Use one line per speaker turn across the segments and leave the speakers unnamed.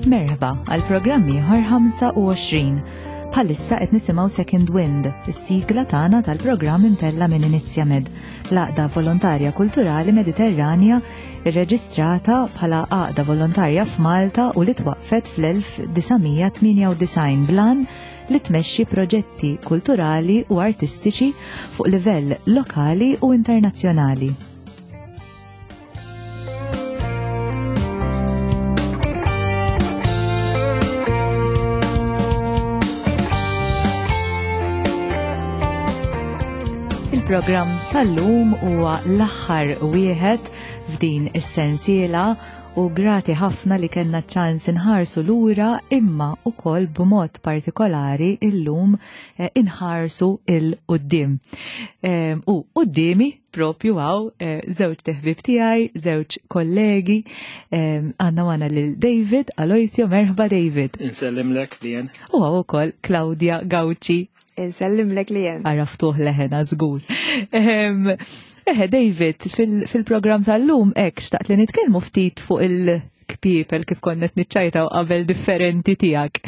Merħba għal programm ieħor 25. Bħalissa qed nisimgħu Second Wind, is-sigla tagħna tal-programm imtella minn Inizjamed, l-għaqda volontarja kulturali Mediterranja irreġistrata bħala għaqda volontarja f'Malta u li twaqqfet fl-1998 blan li tmexxi proġetti kulturali u artistiċi fuq livell lokali u internazzjonali. Il-programm tal-lum huwa l-aħħar wieħed f'din is-sensiela u grati ħafna li kellna ċans inħarsu lura imma ukoll b'mod partikolari illum eh, inħarsu il-qudiem. Eh, u quddiemi propju għaw eh, żewġ teħbib tiegħi, żewġ kollegi, għandna għana lil David Aloisio, merħba David.
Insellimlek li jen.
U għaw ukoll Claudia Gauci.
Insellimlek li jen.
Għaraftuh leħena żgur. Eħe, David, fil-programm tal-lum hekk xtaqt li nitkellmu ftit fuq il-kpiepel kif konna qed niċċajtaw qabel differenti tiegħek.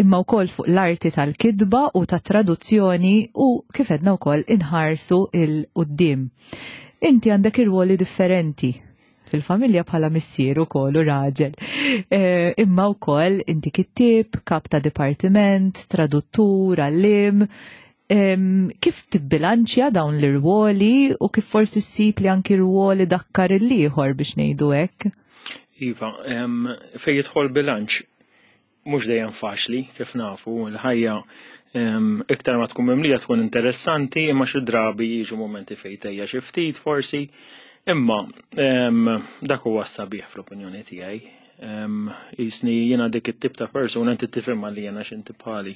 Imma wkoll fuq l-arti tal-kitba u tat-traduzzjoni u kif edna wkoll inħarsu il-qudiem. Inti għandek irwoli differenti fil-familja bħala missier ukoll u raġel. Eh, imma wkoll inti kittieb, kap ta' dipartiment, traduttur, għallim, Kif tibbilanċja dawn l-irwoli u kif forsi ssib li anki rwoli dakkar il-ieħor biex ngħidu hekk?
Iva, fejn jidħol bilanċ mhux dejjem faċli kif nafu l-ħajja iktar ma tkun mimlija tkun interessanti imma xi drabi jiġu momenti fejn tejja xi ftit forsi imma dak huwa s-sabiħ fl-opinjoni tiegħi. Jisni jiena dik it-tip ta' persuna inti tifhimha li jiena x'inti bħali.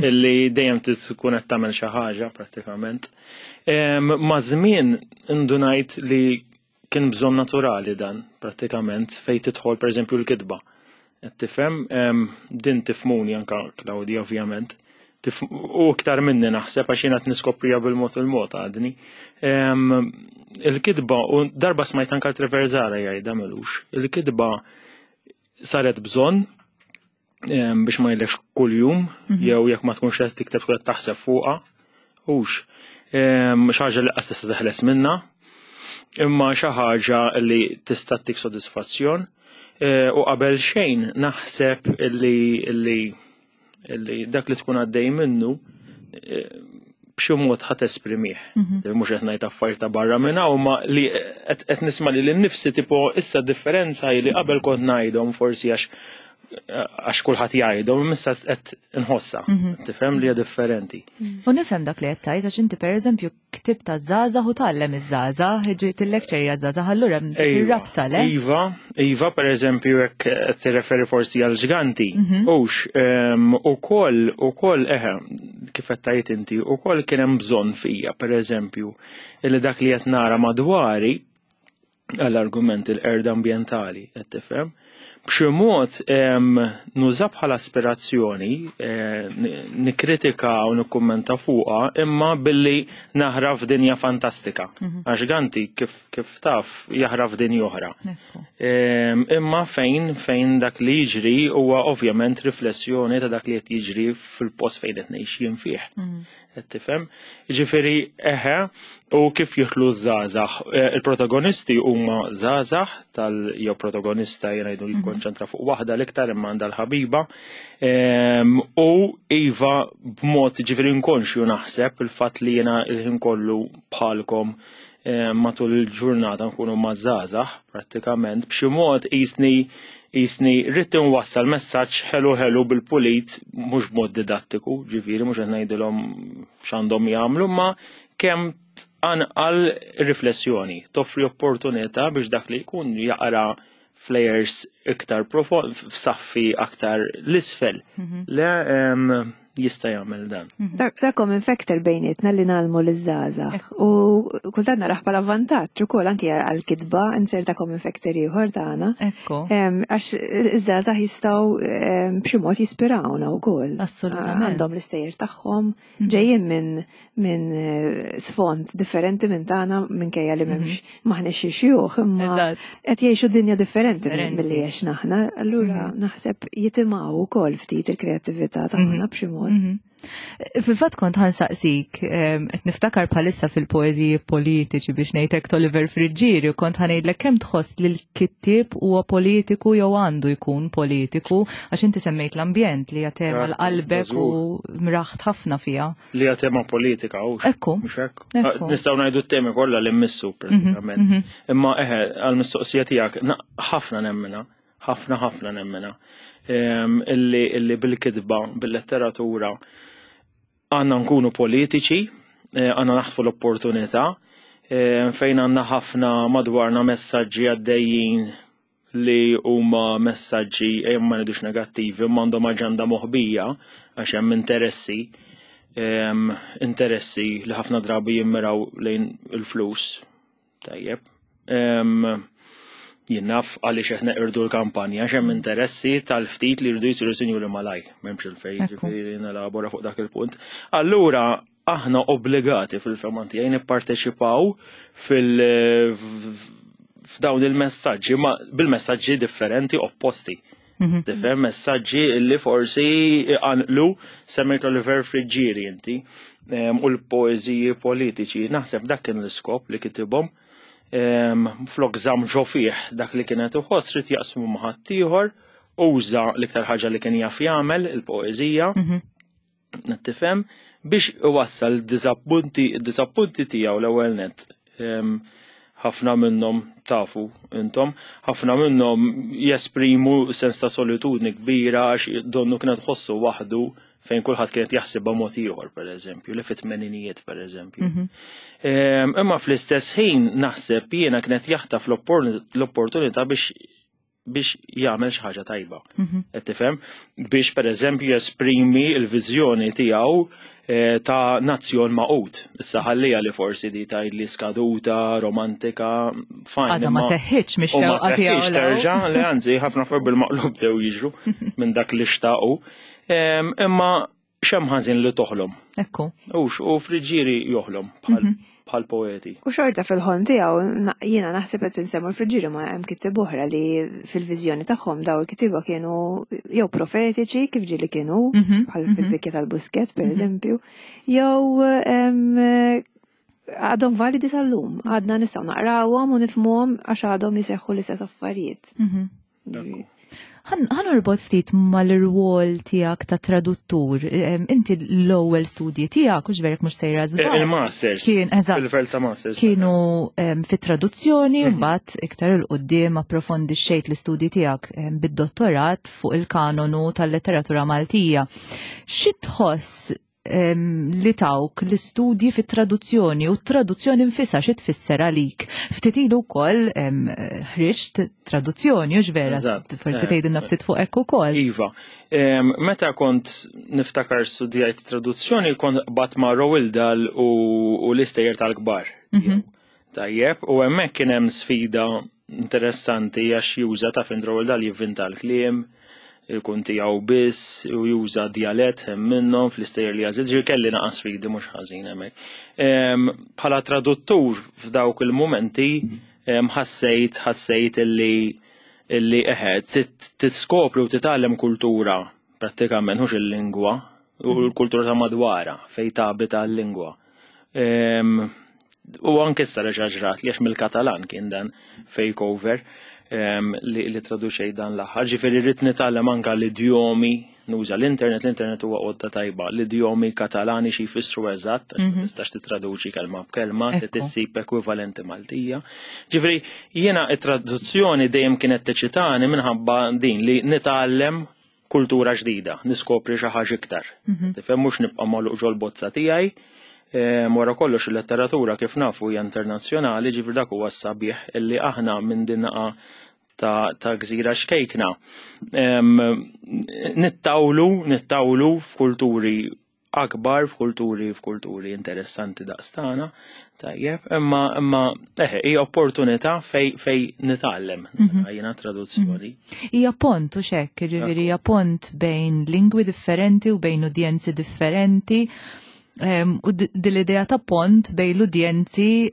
Illi dejjem tkun qed tagħmel xi ħaġa prattikament. Ma' żmien indunajt li kien bżonn naturali dan prattikament fejn tidħol pereżempju l-kitba. Qed tifhem din tifmuni anka Claudia ovvjament. U iktar minni naħseb għax jiena qed niskoprija bil-mod il-mod għadni. Il-kitba u darba smajt anka Trevor Zara jgħidha melux. Il-kitba saret bżonn biex ma jgħidlekx kuljum mhm. jew jekk ma tkunx qed tikteb tkun qed taħseb fuqha. Hux xi ħaġa li qas tista' teħles minnha, imma xi ħaġa li tista' tik sodisfazzjon. E, u qabel xejn naħseb li li dak li tkun għaddej minnu eh, b'xi mod ħadd esprimih. Mhm. Mhux qed ngħid affarijiet ta' barra minn hawn, ma li qed nisma' li nnifsi tipo issa differenza li qabel kont ngħidhom forsi għax għax kulħadd jgħidhom, issa qed inħossa. Mhm. Tifhem li hija differenti.
U nifhem dak li qed tgħid għax inti pereżempju Ktibt għaż-żgħażagħ u tgħallem iż-żgħażagħ, ġiet il-lecture hija żgħażagħ allura hemm ir-rabta le?
Iva, iva, pereżempju jekk qed tirreferi forsi għal ġganti, mhm. hux ehm, ukoll ukoll eħe kif qed tgħid inti, ukoll kien hemm bżonn fija, pereżempju, illi dak li qed nara madwari għall-argument il-qerda ambjentali, qed tifhem. B'xi mod nuża bħala aspirazzjoni, eh, nikkritika u nikkummenta fuqha, imma billi naħra f'dinja fantastika. Mhm. Għax Ganti kif, kif taf jaħra f'dinja oħra. Imma fejn fejn dak li jiġri huwa ovvjament riflessjoni ta' dak li qed jiġri fil-post fejn qed ngħix jien fih. Mhm. Qed tifhem? Ġifieri eħe u kif jidħlu żgħażagħ. Eh, il-protagonisti huma żgħażagħ tal jew protagonista jien ngħidu mhm. jikkonċentra fuq waħda l-iktar imma għandha l-ħabiba. Ehm, u iva b'mod ġifieri inkonxju naħseb il-fatt li jiena il-ħin kollu bħalkom eh, matul il-ġurnata nkunu ma' żgħażagħ prattikament b'xi mod qisni qisni rrid inwassal messaġġ ħelu ħelu bil-pulit mhux b'mod didattiku, ġifieri mhux qed ngħidilhom x'għandhom jagħmlu, ma kemm tqanqal riflessjoni, toffri opportunità biex dak li jkun jaqra f'layers iktar profond, f'saffi aktar l-isfel. Mhm. Le. jista' jagħmel dan.
Mhm. Dak common factor bejnietna li nagħlmu liż-żgħażagħ. U kultant narah bħala vantaġġ ukoll anki għall-kitba inserta common factor ieħor tagħna.
Ekku.
Għax iż-żgħażagħ jistgħu b'xi mod jispirawna wkoll.
Assolutament.
Għandhom l-istejjer tagħhom, mhm. ġejjin minn min eh, sfond differenti minn tagħna minkejja li m'hemmx mhm. maħniex xi xjuħ imma qed jgħixu dinja differenti milli għexna aħna, allura mhm. naħseb jitimgħu wkoll ftit il-kreattività tagħna b'xi mod.
Fil-fatt kont ħansaqsik, qed niftakar bħalissa fil-poeżiji politiċi biex ngħidlek Oliver Friggieri u kont ħanejdlek kemm tħoss li l-kittieb huwa politiku jew għandu jkun politiku għax inti semmejt l-ambjent li hija tema l-qalbek u mraħt ħafna fiha.
Li hija tema politika hux.
Ekku.
Mhux hekk. Ah, nistgħu ngħidu t-temi kollha li mmissu mhm, pratikament. Mhm. Imma eħe għall-mistoqsija tiegħek ħafna nemmina, ħafna ħafna nemmina. Ehm, illi bil-kitba, bil-letteratura għandna nkunu politiċi, eh, għandna naħtfu l-opportunità eh, fejn għandna ħafna madwarna messaġġi għaddejjin li huma messaġġi ejja ma ngħidux negattivi imma għandhom aġenda moħbija għax hemm interessi interessi li ħafna drabi jimmiraw lejn il-flus. Tajjeb. Jien naf għaliex qed neqirdu l-kampanja għax hemm interessi tal-ftit li jridu jsiru sinjuri malaj, m'hemmx il-fejn ġifieri nelabora fuq dak il-punt. Allura aħna obbligati fil-fema tiegħi nipparteċipaw fil f'dawn il-messaġġi, ma bil-messaġġi differenti opposti. Mhm. Tifhem messaġġi li forsi għanqlu semmejt Oliver Friggieri inti u l-poeżiji politiċi. Naħseb dak kien l-iskop li kitibhom. Flok żamm ġo fih dak li kienet iħoss rid jaqsmu ma' ħaddieħor, uża l-iktar ħaġa li kien jaf jagħmel, il-poeżija. Mhm. Tifhem biex iwassal id-diżappunti id-diżappunti tiegħu l-ewwel nett. Ħafna minnhom tafu intom, ħafna minnhom jesprimu sens ta' solitudni kbira għax donnu kienet ħossu waħdu fejn kulħadd kienet jaħsibha mod ieħor pereżempju, li fit-tmeninijiet pereżempju. Mhm. Imma fl-istess ħin naħseb jiena kienet jaħtaf l-opportunità biex biex jagħmel xi ħaġa tajba. Mhm. Qed tifhem? Biex pereżempju jesprimi l-viżjoni tiegħu eh, ta' nazzjon maqut. Issa ħallija li forsi di tgħid li skaduta, romantika,
fajn. Għadha ma seħħitx mhix ma
seħħitx terġa' li anzi ħafna fuq bil-maqlub dew jiġru minn dak li xtaqu. Imma X'hemm ħażin li toħlom?
Ekku.
Ux, u Friggieri joħlom bħal mhm. bħal poeti.
U xorta fil-ħolm tiegħu jiena naħseb qed insemmu l-Friggieri ma hemm kittieb oħra li fil-viżjoni tagħhom daw il-kittieba kienu jew profetiċi kif ġieli kienu mhm, bħal mhm. fil-bikja tal-Busquets pereżempju, jew għadhom validi tal-lum, għadna nistgħu naqrawhom u nifhmuhom għax għadhom jiseħħu l-istess affarijiet.
Ħan urbot ftit mal-irwol tiegħek ta' traduttur. Inti l-ewwel studji tiegħek hux verek mhux sejra
żball. Il-masters. Kien eżatt. Il-livell ta' masters.
Kienu fit-traduzzjoni mhm. mbagħad iktar il qudiem approfondixxejt l-istudji tiegħek bid-dottorat fuq il-kanonu tal-letteratura Maltija. Xi tħoss li tawk l-istudji fit-traduzzjoni u t-traduzzjoni nfisha xi tfisser għalik. Ftit ilu wkoll ħriġt traduzzjoni u vera, forsi eh. tgħidilna ftit fuq hekk ukoll.
Iva, meta kont niftakar studjajt traduzzjoni kont bat ma' Roald Dahl u l-istejjer tal-kbar. Mhm. Tajjeb, u hemmhekk kien hemm sfida interessanti għax juża ta' fin Roald Dahl jivvinta l-kliem, ikun tiegħu biss u juża djalett hemm minnhom fl-istejjer li għażil, ġifieri kelli naqa' sfidi mhux ħażin hemmhekk. Bħala traduttur f'dawk il-mumenti ħassejt ħassejt illi illi eħe tiskopri u titgħallem kultura prattikament mhux il-lingwa u l-kultura ta' madwara fejn tabita l-lingwa. U anke issa reġa' ġrat li għax mill-Katalan kien dan fake over li, li traduċej dan l-aħħar. Ġifieri rrid nitgħallem anke l-idjomi, nuża l-internet, l-internet huwa għodda tajba, l-idjomi Katalani xi jfissru eżatt, għax ma mhm. tistax titraduċi kelma b'kelma, li tissib ekwivalenti Maltija. Ġifieri jiena it-traduzzjoni dejjem kienet teċitani minħabba din li nitgħallem kultura ġdida, niskopri xi ħaġa iktar. Mhm. Tifhem mhux nibqa' magħluq ġol-bozza tiegħi. Ehm, wara kollox il-letteratura kif nafu hija internazzjonali, ġifier dak huwa s-sabiħ illi aħna minn din naqa' ta', ta gżira xkejkna. Nittawlu, nittawlu f'kulturi akbar, f'kulturi, f'kulturi interessanti daqstana, tajjeb, imma imma eħe, hija opportunità fej fej nitgħallem mhm. jiena traduzzjoni.
Mhm. Hija pont u xekk, jiġifieri hija pont bejn lingwi differenti u bejn udjenzi differenti. U dil-idea ta' pont bejn l-udjenzi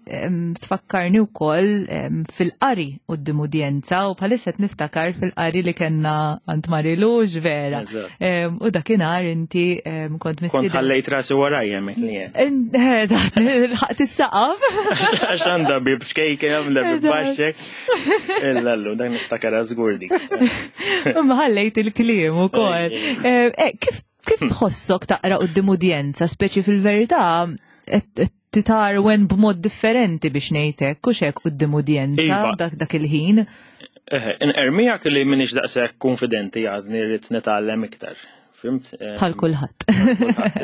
tfakkarni wkoll fil-qari quddiem udjenza u bħalissa qed niftakar fil-qari li kellna għand Marilu vera. U dakinhar inti kont
mistieden. Kont ħallejt rasi warajja hemmhekk li
jien. Eżatt, ħaqt is-saqaf.
Għax għandha bib xkejke, għandha bib baxxek. Illallu, dak niftakar żgur dik.
Imma ħallejt il-kliem ukoll. Eh, kif Kif tħossok taqra quddiem udjenza, speċi fil-verità titarwen b'mod differenti biex ngħidlek, u xek quddiem udjenza iva. dak dak il-ħin?
Inqermijak li minix daqshekk konfidenti għadni rrid nitgħallem iktar. Fimt?
Bħal kulħadd.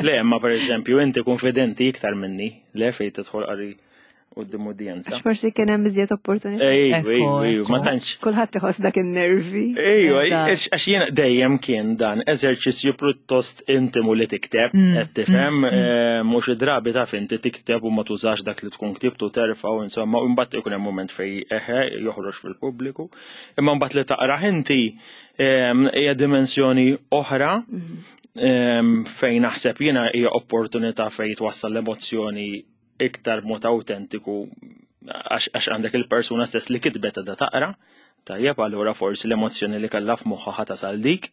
Le, ma pereżempju inti konfidenti iktar minni, le fejn tidħol qari quddiem udjenza.
Għax forsi kien hemm iżjed opportunità.
Ejju, ejju, ma tantx.
Kulħadd iħoss dak in-nervi.
Ejju, għax jiena dejjem kien dan eżerċizzju pjuttost intimu li tikteb, mm, qed tifhem, mm, mm. Eh, mhux id-drabi taf inti tikteb u ma tużax dak li tkun ktibtu terfa' u insomma, u mbagħad ikun hemm mument fej eħe joħroġ fil-pubbliku. Imma mbagħad li taqrah inti ehm, hija dimensjoni oħra ehm, fejn naħseb jiena hija opportunità fejn twassal l-emozzjoni iktar b'mod awtentiku għax għandek il-persuna stess li kitbet għadha taqra, tajjeb allura forsi l-emozzjoni li kellha f'moħħha ħa tasal dik.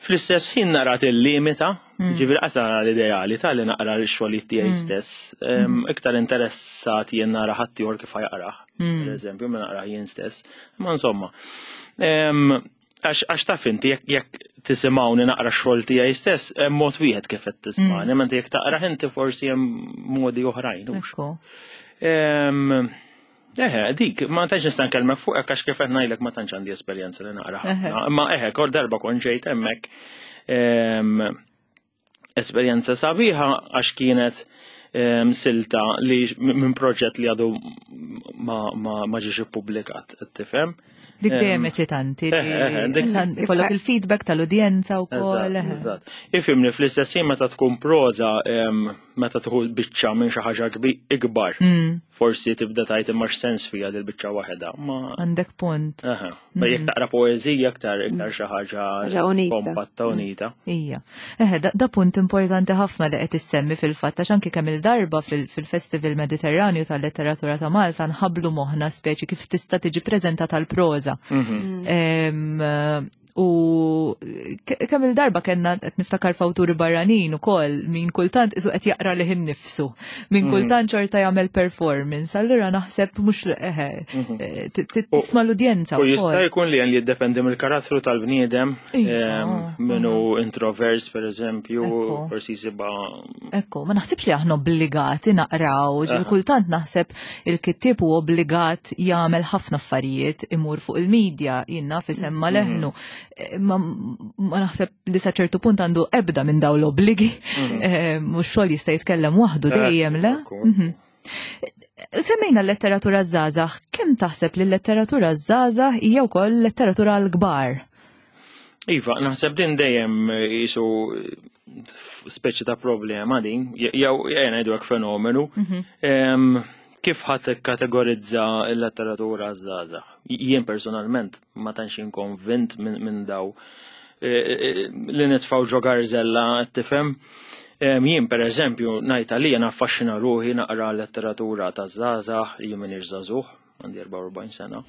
Fl-istess ħin nara tillimita, mm. ġifieri qas nara l-ideali ta' li naqra l-xogħlijiet tiegħi mm. stess, mm. iktar interessat jien nara ħaddieħor kif ħajqrah, pereżempju, ma naqrah jien stess. Ma insomma, Għax taf inti jekk tisimgħuni naqra x-xogħol tiegħi stess, hemm mod wieħed kif qed tismani, mm. mentre jekk taqra inti forsi hemm modi oħrajn. Eħe, dik, ma tantx nista' nkellmek fuq għax kif qed ngħidlek ma tantx għandi esperjenza li naqra ħafna. Imma eħe, kol darba kont ġejt hemmhekk Esperjenza sabiħa għax kienet ehm, silta li minn proġett li għadu ma ġiex ippubblikat, qed tifhem?
Dik dejjem ehm, eċitanti. Eh, eh, eh, ikollok il-feedback tal-udjenza wkoll.
Eżatt. Ifhimni fl-istess ħin meta tkun proża ehm, meta tieħu biċċa minn xi ħaġa ikbar. Mm. Forsi tibda tajt imma x'sens fiha dil biċċa waħedha.
Għandek punt.
Ma jekk taqra poeżija aktar iktar xi ħaġa kompatta unita.
Ija. Eħe, da punt importanti ħafna li qed issemmi fil-fatt għax anki kemm il-darba fil-Festival Mediterranju tal-Letteratura ta' Malta nħablu moħħna speċi kif tista' tiġi preżentata l-proża. Mhm. U kemm il-darba kellna qed niftakar f'awturi barranin ukoll min kultant isu qed jaqra lih innifsu, min mm. kultant xorta jagħmel performance, allura naħseb mhux eħe mhm. eh, tisma' l-udjenza.
U jista' jkun li li jiddependi mill-karattru tal-bniedem, ehm, minnu introvers per eżempju, forsi jisibha.
Ekku, ma naħsibx li aħna obbligati naqraw, kultant naħseb il-kittieb hu obbligat jagħmel ħafna affarijiet, imur fuq il-medja, jinnaf isemma mhm. leħnu. Eh, ma naħseb li sa ċertu punt għandu ebda minn daw l-obbligi, mhm. eh, mhux xogħol jista' jitkellem waħdu eh, dejjem le. Mhm. Semmejna l-letteratura żgħażagħ, kemm taħseb li l-letteratura żgħażagħ hija wkoll letteratura l-kbar?
Iva, naħseb din dejjem jisu speċi ta' problema din, jew jena ngħidu hekk fenomenu. Mhm. Kif ħadd kategorizza l-letteratura żgħażagħ? Jien personalment ma tantx inkonvint minn daw e, e, e, li nitfgħu ġo garzella tifhem. Jien per eżempju ngħid għalija naffaxxina ruħi naqra letteratura ta' żgħażagħ, jien m'iniex żagħżugħ, għandi 44 sena.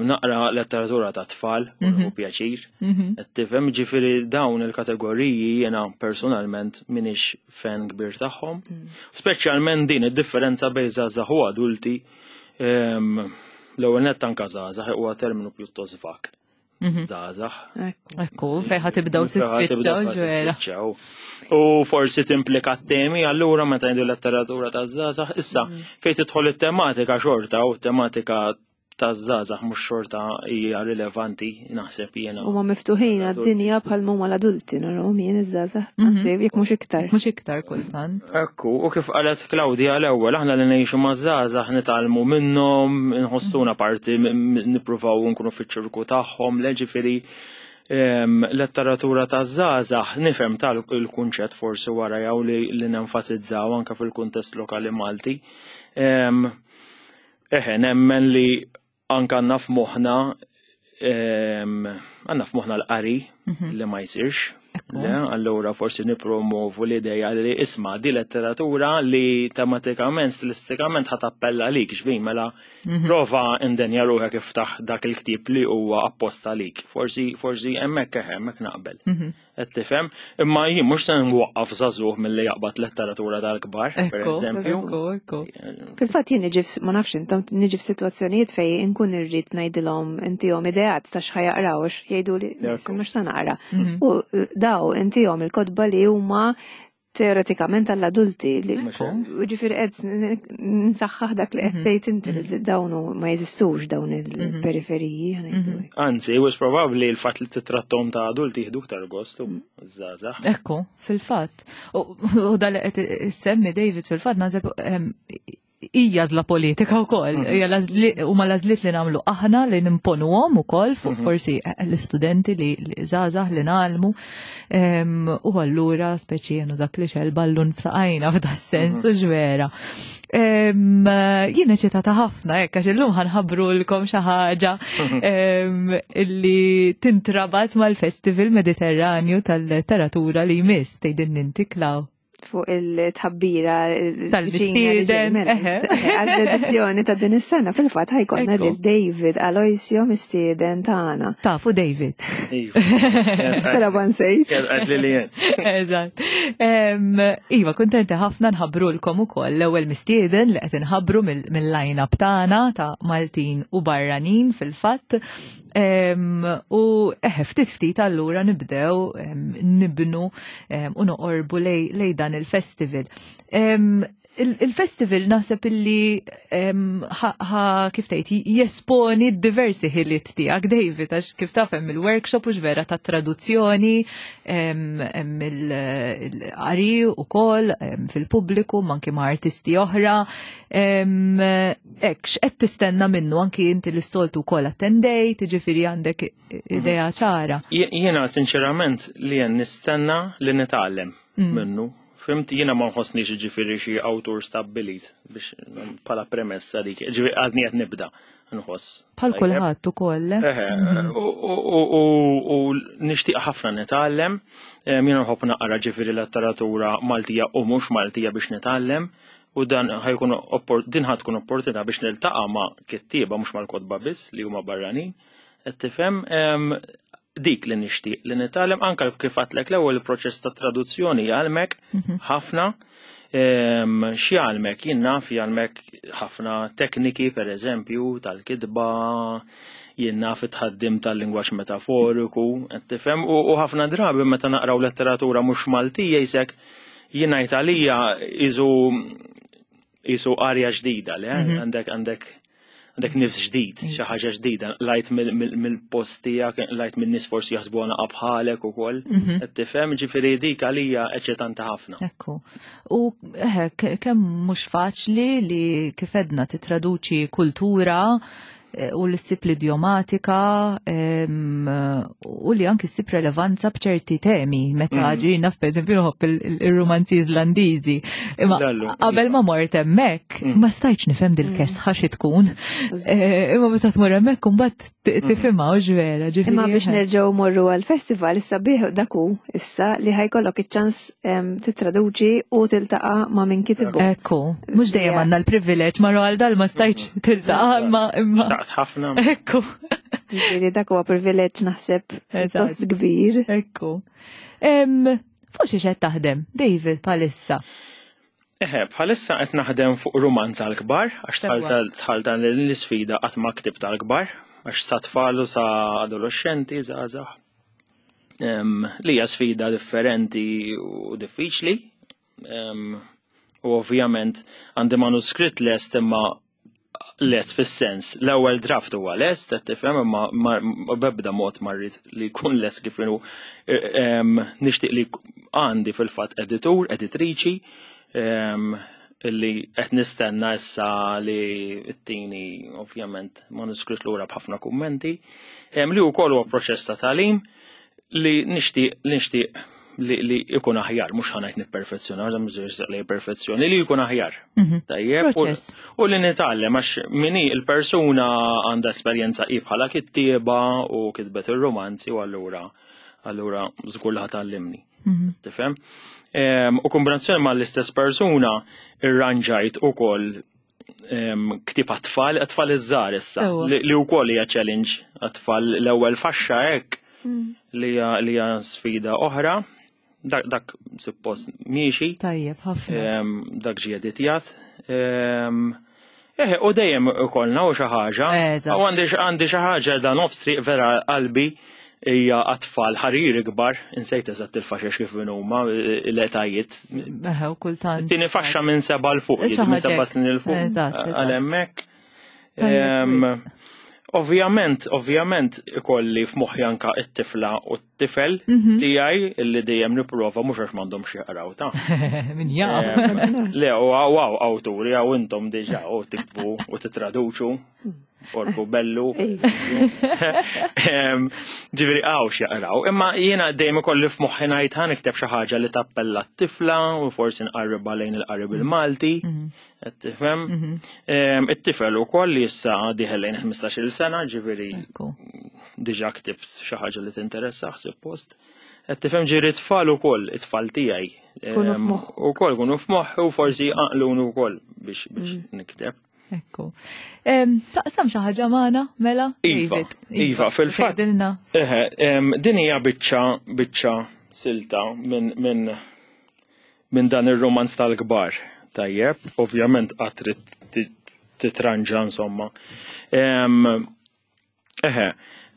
Naqra letteratura ta' tfal, u mhm. pjaċir. Mhm. Qed tifhem, ġifieri dawn il-kategoriji jiena personalment minix fan kbir tagħhom. Mm. Speċjalment din id-differenza bejn żgħażagħ u adulti. L-ewwel nett anka żgħażagħ huwa terminu pjuttost vak. Mhm. Żgħażagħ.
Ekku, fejn ħa tibdew tispiċċaw ġwera.
U forsi timplika temi allura meta jgħidu letteratura ta' żgħażagħ, issa mhm. fejn tidħol it-tematika xorta u tematika taż-żgħażagħ mhux xorta hija rilevanti naħseb jiena.
Huma miftuħin għad-dinja bħal huma l-adulti narahom jien iż-żgħażagħ, mhm. anzi jekk mhux iktar.
Mhux iktar kultant.
Ekku, u kif qalet Claudia l-ewwel aħna li ngħixu maż-żgħażagħ nitgħallmu minnhom, nħossuna parti nippruvaw nkunu fiċ-ċirku tagħhom, ġifieri letteratura ta' żgħażagħ nifhem tal-kunċett forsi wara jew li nenfasizzaw anke fil-kuntest lokali Malti. Eħe, nemmen li anka għandna f'moħħna għandna f'moħħna l-qari mhm. li ma jsirx. Le, allura forsi nipromovu l-ideja li isma di letteratura li tematikament, stilistikament ħat appella lik, xbin, mela mhm. prova indenja ruħek iftaħ dak il-ktib li huwa apposta lik. Forsi, forsi hemmhekk eħe, hemmhekk naqbel. Mhm. Qed tifhem? Imma jien mhux se nwaqqaf żagħżugħ milli jaqbad letteratura tal-kbar, pereżempju.
Fil-fatt jien niġi ma nafx intom niġi f'sitwazzjonijiet fejn inkun irrid ngħidilhom intihom ideat ta' x'ħa jaqraw għax jgħiduli mhux se naqra. Mhm. U daw intihom il-kotba li huma teoretikament għall-adulti li ġifieri qed nsaħħaħ dak li qed mhm. tgħid inti li mhm. dawn ma jeżistux dawn mhm. il-periferiji.
Anzi, wis probabbli l-fatt li titrattom ta' adulti jieħdu iktar gost u mm. żgħażagħ.
Ekku, fil-fatt. U dal qed issemmi David fil-fatt nażeb ehm, hija għażla politika wkoll, mhm. hija huma l-għażliet li nagħmlu aħna li nimponuhom ukoll fuq mhm. forsi eh, l-istudenti li żgħażagħ li nagħlmu. U allura speċi jenu dak li xel ballun f'saqajna f'da sens mhm. u ġvera. Jien eċitata ħafna hekk għax illum ħanħabrulkom xi ħaġa li tintrabat mal-Festival Mediterranju tal-Letteratura li jmiss tgħidilni inti Klaw.
fuq il-tħabbira
tal-mistieden
mela, għall-edizzjoni ta' din is-sena fil-fatt ħajkonna lil David Aloisio mistieden tagħna.
Tafu David.
Iva.
Spera ma nsejt.
Eżatt. Iva, kuntenti ħafna nħabbrulkom ukoll l-ewwel mistieden li qed inħabbru mill-line-up tagħna ta' Maltin u barranin fil-fatt. U eħe, ftit ftit allura nibdew nibnu u noqorbu lej dan il-festival. Il-festival naħseb illi ħa kif tgħid jesponi diversi ħiliet tiegħek David għax kif taf hemm il-workshop u vera ta' traduzzjoni hemm il-qari ukoll fil-pubbliku anki ma' artisti oħra. Hekk, x'qed tistenna minnu anki inti li s-soltu wkoll attendejt, jiġifieri għandek idea ċara.
Jiena sinċerament li jen nistenna li nitgħallem mm. minnu. Fimt jiena ma nħossniex ġifieri xi awtur stabbilit biex bħala premessa dik, ġifieri għadni qed nibda nħoss.
Bħal kulħadd ukoll.
Eh? Mhm. U nixtieq ħafna nitgħallem, jiena nħobb naqra ġifieri letteratura Maltija u mhux Maltija biex nitgħallem. U dan ħajkun din ħad tkun opportunità biex niltaqa' ma' kittieba mhux mal-kotba biss li huma barranin. Qed tifhem dik li nixtieq li nitgħallem anke kif għadtlek l-ewwel il-proċess ta' traduzzjoni jgħallmek mhm. ħafna. X'jgħallmek? Jien naf jgħallmek ħafna tekniki pereżempju tal-kitba, jien naf it-tħaddim tal-lingwaġġ metaforiku, qed tifhem u ħafna drabi meta naqraw letteratura mhux Maltija jisek Jien ngħid għalija isu isu arja ġdida, le? Mhm. Għandek għandek għandek nifs ġdid, mhm. xi ħaġa ġdida, lajt mill-post tiegħek, lajt minn nies forsi jaħsbu għana bħalek ukoll. Mhm. Qed tifhem, ġifieri dik għalija eċċitanti ħafna.
Ekku. U eh, kemm mhux faċli li kif edna titraduċi kultura Eh, u li ssib l-idjomatika u li anki ssib relevanza b'ċerti temi meta mm. ġina f'eżempju nħobb il-romanzi Islandiżi. Imma qabel ma mort hemmhekk mm. ma stajtx nifhem dil-kesħa mm. xi tkun. Eh, imma meta tmur hemmhekk imbagħad tifhimha u ġvera.
Imma biex nerġgħu morru għall-festival issa bih daku issa li ħajkollok iċ-ċans titraduċi u tiltaqa' ma' min kitbu.
Ekku, mhux dejjem għandna l-privileġġ ma' għal dal ma stajtx tiltaqa' imma imma.
Xtaqt ħafna.
Ekku.
Ġifieri dak huwa privileġġ naħseb post kbir.
Ekku. Fuq xi qed taħdem, David, bħalissa?
Eħe, bħalissa qed naħdem fuq rumanz għall-kbar, għax tħal dan l-isfida qatt ma ktibt għall-kbar, għax sa tfal u sa adolescenti, żgħażagħ. Li hija sfida differenti u diffiċli. U ovvjament għandi manuskritt lest imma Lest fis-sens, l-ewwel draft huwa lest, qed tifhem, imma b'ebda mod ma rrid li jkun lest kif inhu. Nixtieq li għandi fil-fatt editur, editriċi, illi qed nistenna issa li t-tini ovvjament manuskritt lura b'ħafna kummenti, li wkoll huwa proċess ta' tagħlim li nixtieq li nixtieq li, li ikun aħjar, mhux ħanajt nipperfezzjona, għax mhux li perfezzjoni, li jkun aħjar. Mhm. Tajjeb, u li nitgħallem għax minni il-persuna għandha esperjenza i bħala kittieba u kitbet ir-romanzi u allura allura żgur li ħatgħallimni. Mhm. Tifhem? U kombinazzjoni ma l-istess persuna irranġajt ukoll ktib għat-tfal, għat-tfal iż-żgħar issa, li wkoll hija challenge għat-tfal l-ewwel faxxa hekk mm. li hija sfida oħra. Dak, dak suppost miexi.
Tajjeb, ħafna.
Dak ġie editjat. Eh, u dejjem ikollna u xi ħaġa. U għandi għandi xi ħaġa da nofs triq vera qalbi hija għat-tfal ħarir ikbar, insejt eżatt il-faxex kif huma l-etajiet.
Eħe, u kultant.
Tieni faxxa minn seba' 'l fuq, minn seba' snin 'il fuq. Għal hemmhekk. Ovvjament, ovvjament ikolli f'moħħi anka it-tifla u t-tifel mhm. tiegħi illi dejjem nipprova mhux għax m'għandhomx jaqraw ta'
Min jaf.
Le, u għaw awturi għaw intom diġà u tiktbu u titraduċu. Orku bellu. Ġifieri għaw x'jaqraw. Imma jiena dejjem ikolli f'moħħi ngħid ħa nikteb xi ħaġa li tappella t-tifla u forsi nqarribha lejn il-qarib il-Malti. Mhm. Qed tifhem? Mhm. It-tifel ukoll li issa dieħel lejn 15-il sena, ġifieri diġà ktibt xi ħaġa li tinteressa suppost. Qed tifhem ġieri tfal ukoll, it-tfal tiegħi. Ukoll kunu f'moħħi u forsi jqanqluni wkoll biex mm. nikteb.
Ekku. Taqsam xi ħaġa magħna, mela?
Iva, iva, fil-fatt. Eħe, din hija biċċa biċċa silta minn min, min dan ir-romanz tal-kbar. Tajjeb, ovvjament qatt trid titranġa insomma. Eħe,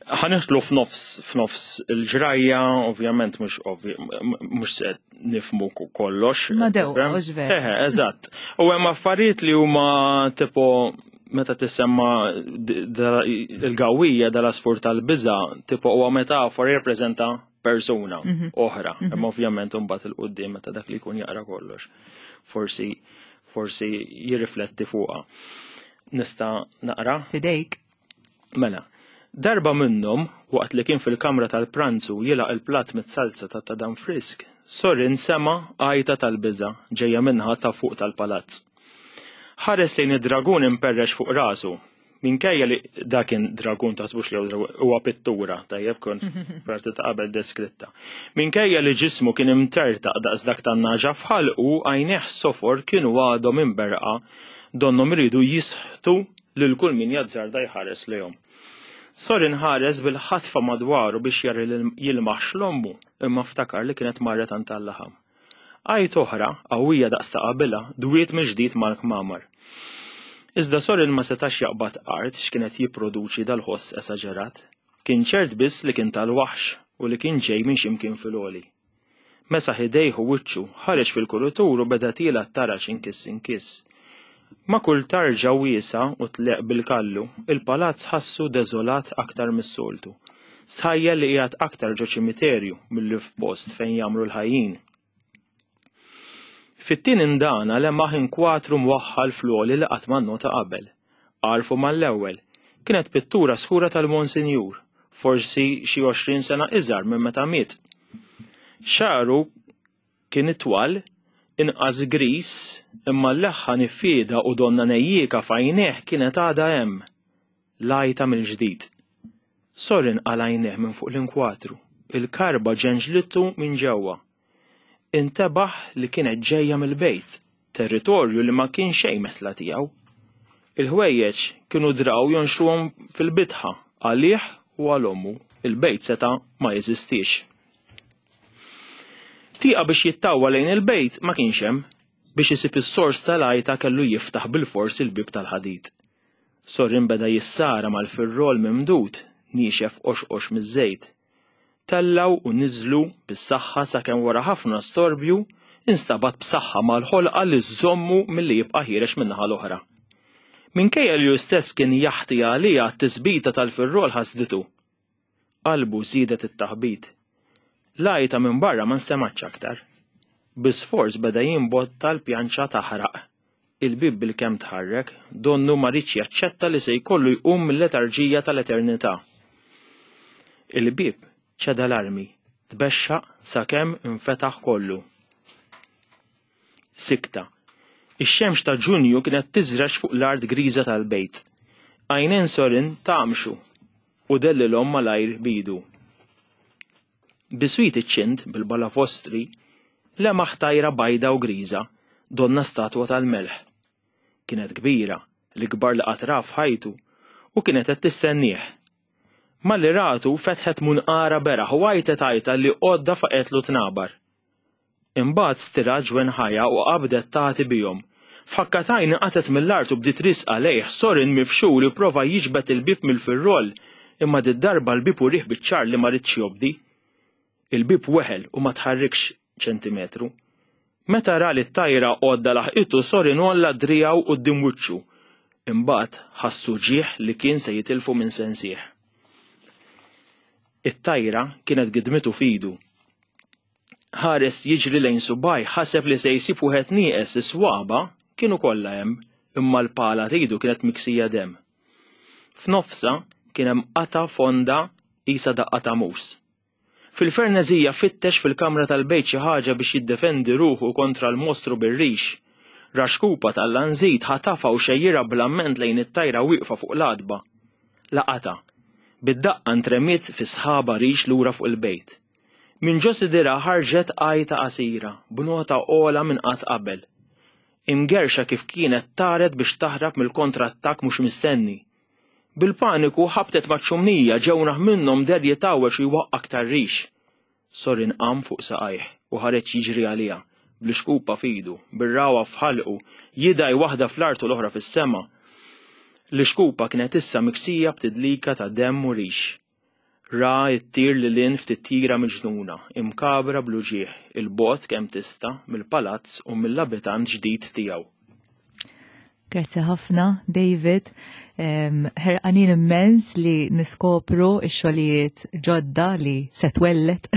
ħa nidħlu f'nofs f'nofs il-ġrajja, ovvjament mhux mhux se nifmu kollox.
Ma dew, mhux
vera. Eħe, eżatt. U hemm affarijiet li huma tipo meta tissemma il-gawija dal-asfur tal-biża, tipo huwa metafora jirrappreżenta persuna mhm. oħra. Mhm. Imma ovvjament imbagħad il-qudiem meta dak li jkun jaqra kollox. Forsi forsi jirrifletti fuqha. Nista' naqra?
Fidejk.
Mela, darba minnhom, waqt li kien fil-kamra tal-pranzu jilgħaq il-platt mit-salza ta' tadam frisk, Sorin sema' għajta tal-biża' ġejja min-naħa ta' fuq tal-palazz. Ħares lejn id-dragun imperrex fuq rasu. Minkejja li dak kien dragun taħsbux li huwa pittura, tajjeb kont parti ta' qabel deskritta. Minkejja li ġismu kien imtertaq daqs dak tan-nagħġa f'ħalqu, għajnejh sofor kienu għadhom imberrqa donnhom iridu jisħtu lil kull min jazzarda jħares lejhom. Sorin ħares bil-ħatfa madwaru biex jara jilmaħx l-ommu, imma ftakar li kienet marret għand tal-laħam. Għajta oħra, qawwija daqs ta' qabilha, dwiet mill-ġdid mal-kmamar. Iżda Sorin ma setax jaqbad art x'kien qed jipproduċi dal-ħoss esaġerat. Kien ċert biss li kien tal-waħx u li kien ġej minn xi mkien fil-għoli. Mesaħ idejh u wiċċu, ħareġ fil-kuritur u beda tiela' t-taraġ inkiss inkiss. Ma' kull tarġa wiesgħa u tleqq bil-kallu, il-palazz ħassu deżolat aktar mis-soltu. Stħajjel li qiegħed aktar ġo ċimiterju milli f'post fejn jgħammru l-ħajjin. Fit-tieni ndana lemaħ inkwatru mwaħħal fl-għoli li qatt ma nnota qabel. Għarfu mal-ewwel. Kienet pittura skura tal-Monsinjur, forsi xi 20 sena iżgħar minn meta miet. Xagħru kien itwal, inqas griż, imma l-leħħa niffieda u donnha nejjieka f'għajnejh kienet għadha hemm. L-għajta mill-ġdid. Sorin qala' għajnejh minn fuq l-inkwatru. Il-karba ġenġlitu minn ġewwa. Intebaħ li kienet ġejja mill-bejt, territorju li ma kien xejn metla tiegħu. Il-ħwejjeġ kienu draw jonxruhom fil-bitħa għalih u għal ommu, il-bejt seta' ma jeżistix. Tieqa biex jittawwa lejn il-bejt ma kienx hemm, biex isib is-sors tal-għajta kellu jiftaħ bilfors il-bieb tal-ħadid. Sorin beda jissara mal-firrol mimdud, niexef qoxqox miż-żejt. Tellgħu u niżlu bis-saħħa sakemm wara ħafna storbju instabat b'saħħa mal-ħolqa li żżommu milli jibqa' ħiereġ min-naħa l-oħra. Minkejja li hu stess kien jaħti għaliha t-tisbita tal-firrol ħasditu. Qalbu żiedet it-taħbit. L-għajta minn barra ma nstemgħetx aktar. Bi sforz beda jimbotta l-pjanċa taħraq. Il-bieb bilkemm tħarrek, donnu ma riedx jaċċetta li se jkollu jqum mill-letarġija tal-eternità. Il-bieb ċeda l-armi, tbexxaq sakemm infetaħ kollu. Sikta. Ix-xemx ta' Ġunju kienet tiżreġ fuq l-art griża tal-bejt. Għajnejn Sorin tgħammxu u dellilhom malajr b'idu. Biswit iċ-ċint bil-balavostri lemaħ tajra bajda u griża, donnha statwa tal-melħ. Kienet kbira, l-ikbar li qatt ra f'ħajtu, u kienet qed tistennieh. Malli ratu fetħet munqarha beraħ u għajtet għajta li għodda faqgħetlu tnabar. Imbagħad stirat ġwenħajha u qabdet tagħti bihom. F'ħakka t'għajn inqatgħet mill-art u bdiet riesqa lejh, Sorin mifxul ipprova jiġbed il-bieb mill-firroll, imma did-darba l-bieb urieh biċ-ċar li ma riedx jobdi. Il-bieb weħel u ma tħarrikx ċentimetru. Meta ra li t-tajra għodda laħqitu, Sorin għolla driegħu quddiem wiċċu. Imbagħad ħass uġigħ li kien se jitilfu minn sensih. It-tajra kienet gidmitu f'idu. Ħares jiġri lejn subgħajh ħaseb li se jsib wieħed nieqes is-swaba' kienu kollha hemm imma l-pala t'idu kienet miksija demm. F'nofsha kien hemm qatgħa fonda qisha daqqa ta' mus. Fil-ferneżija fittex fil-kamra tal-bejt xi ħaġa biex jiddefendi ruħu kontra l-mostru bir-rix. Ra xkupa tal-lanżit ħatafha u xejjirha bl-amment lejn it-tajra wieqfa fuq l-għatba. Laqatha. Bid-daqqa ntremiet fi sħaba rix lura fuq il-bejt. Minn ġo sidirha ħarġet għajta qasira, b'nota ogħla minn qatt qabel. Imgerrxa kif kienet taret biex taħrab mill-kontrattakk mhux mistenni. Bil-paniku ħabtet maċ-ċumnija ġewnaħ minnhom deher jitgħawweġ u jwaqqa' aktar rix. Sorin qam fuq saqajh u ħareġ jiġri għaliha, bl-ixkupa f'idu, bir-ragħwa f'ħalqu, jidgħi waħda fl-art u l-oħra fis-sema. L-ixkupa kienet issa miksija b'tidlika ta' demm u rix. Ra ttir lil hinn f'titjira miġnuna, imkagħbra bl-uġigħ, 'il bogħod kemm tista' mill-palazz u mill-abitant ġdid tiegħu.
Grazzi ħafna, David. Ħerqanin immens li niskopru x-xogħlijiet ġodda li se twellet.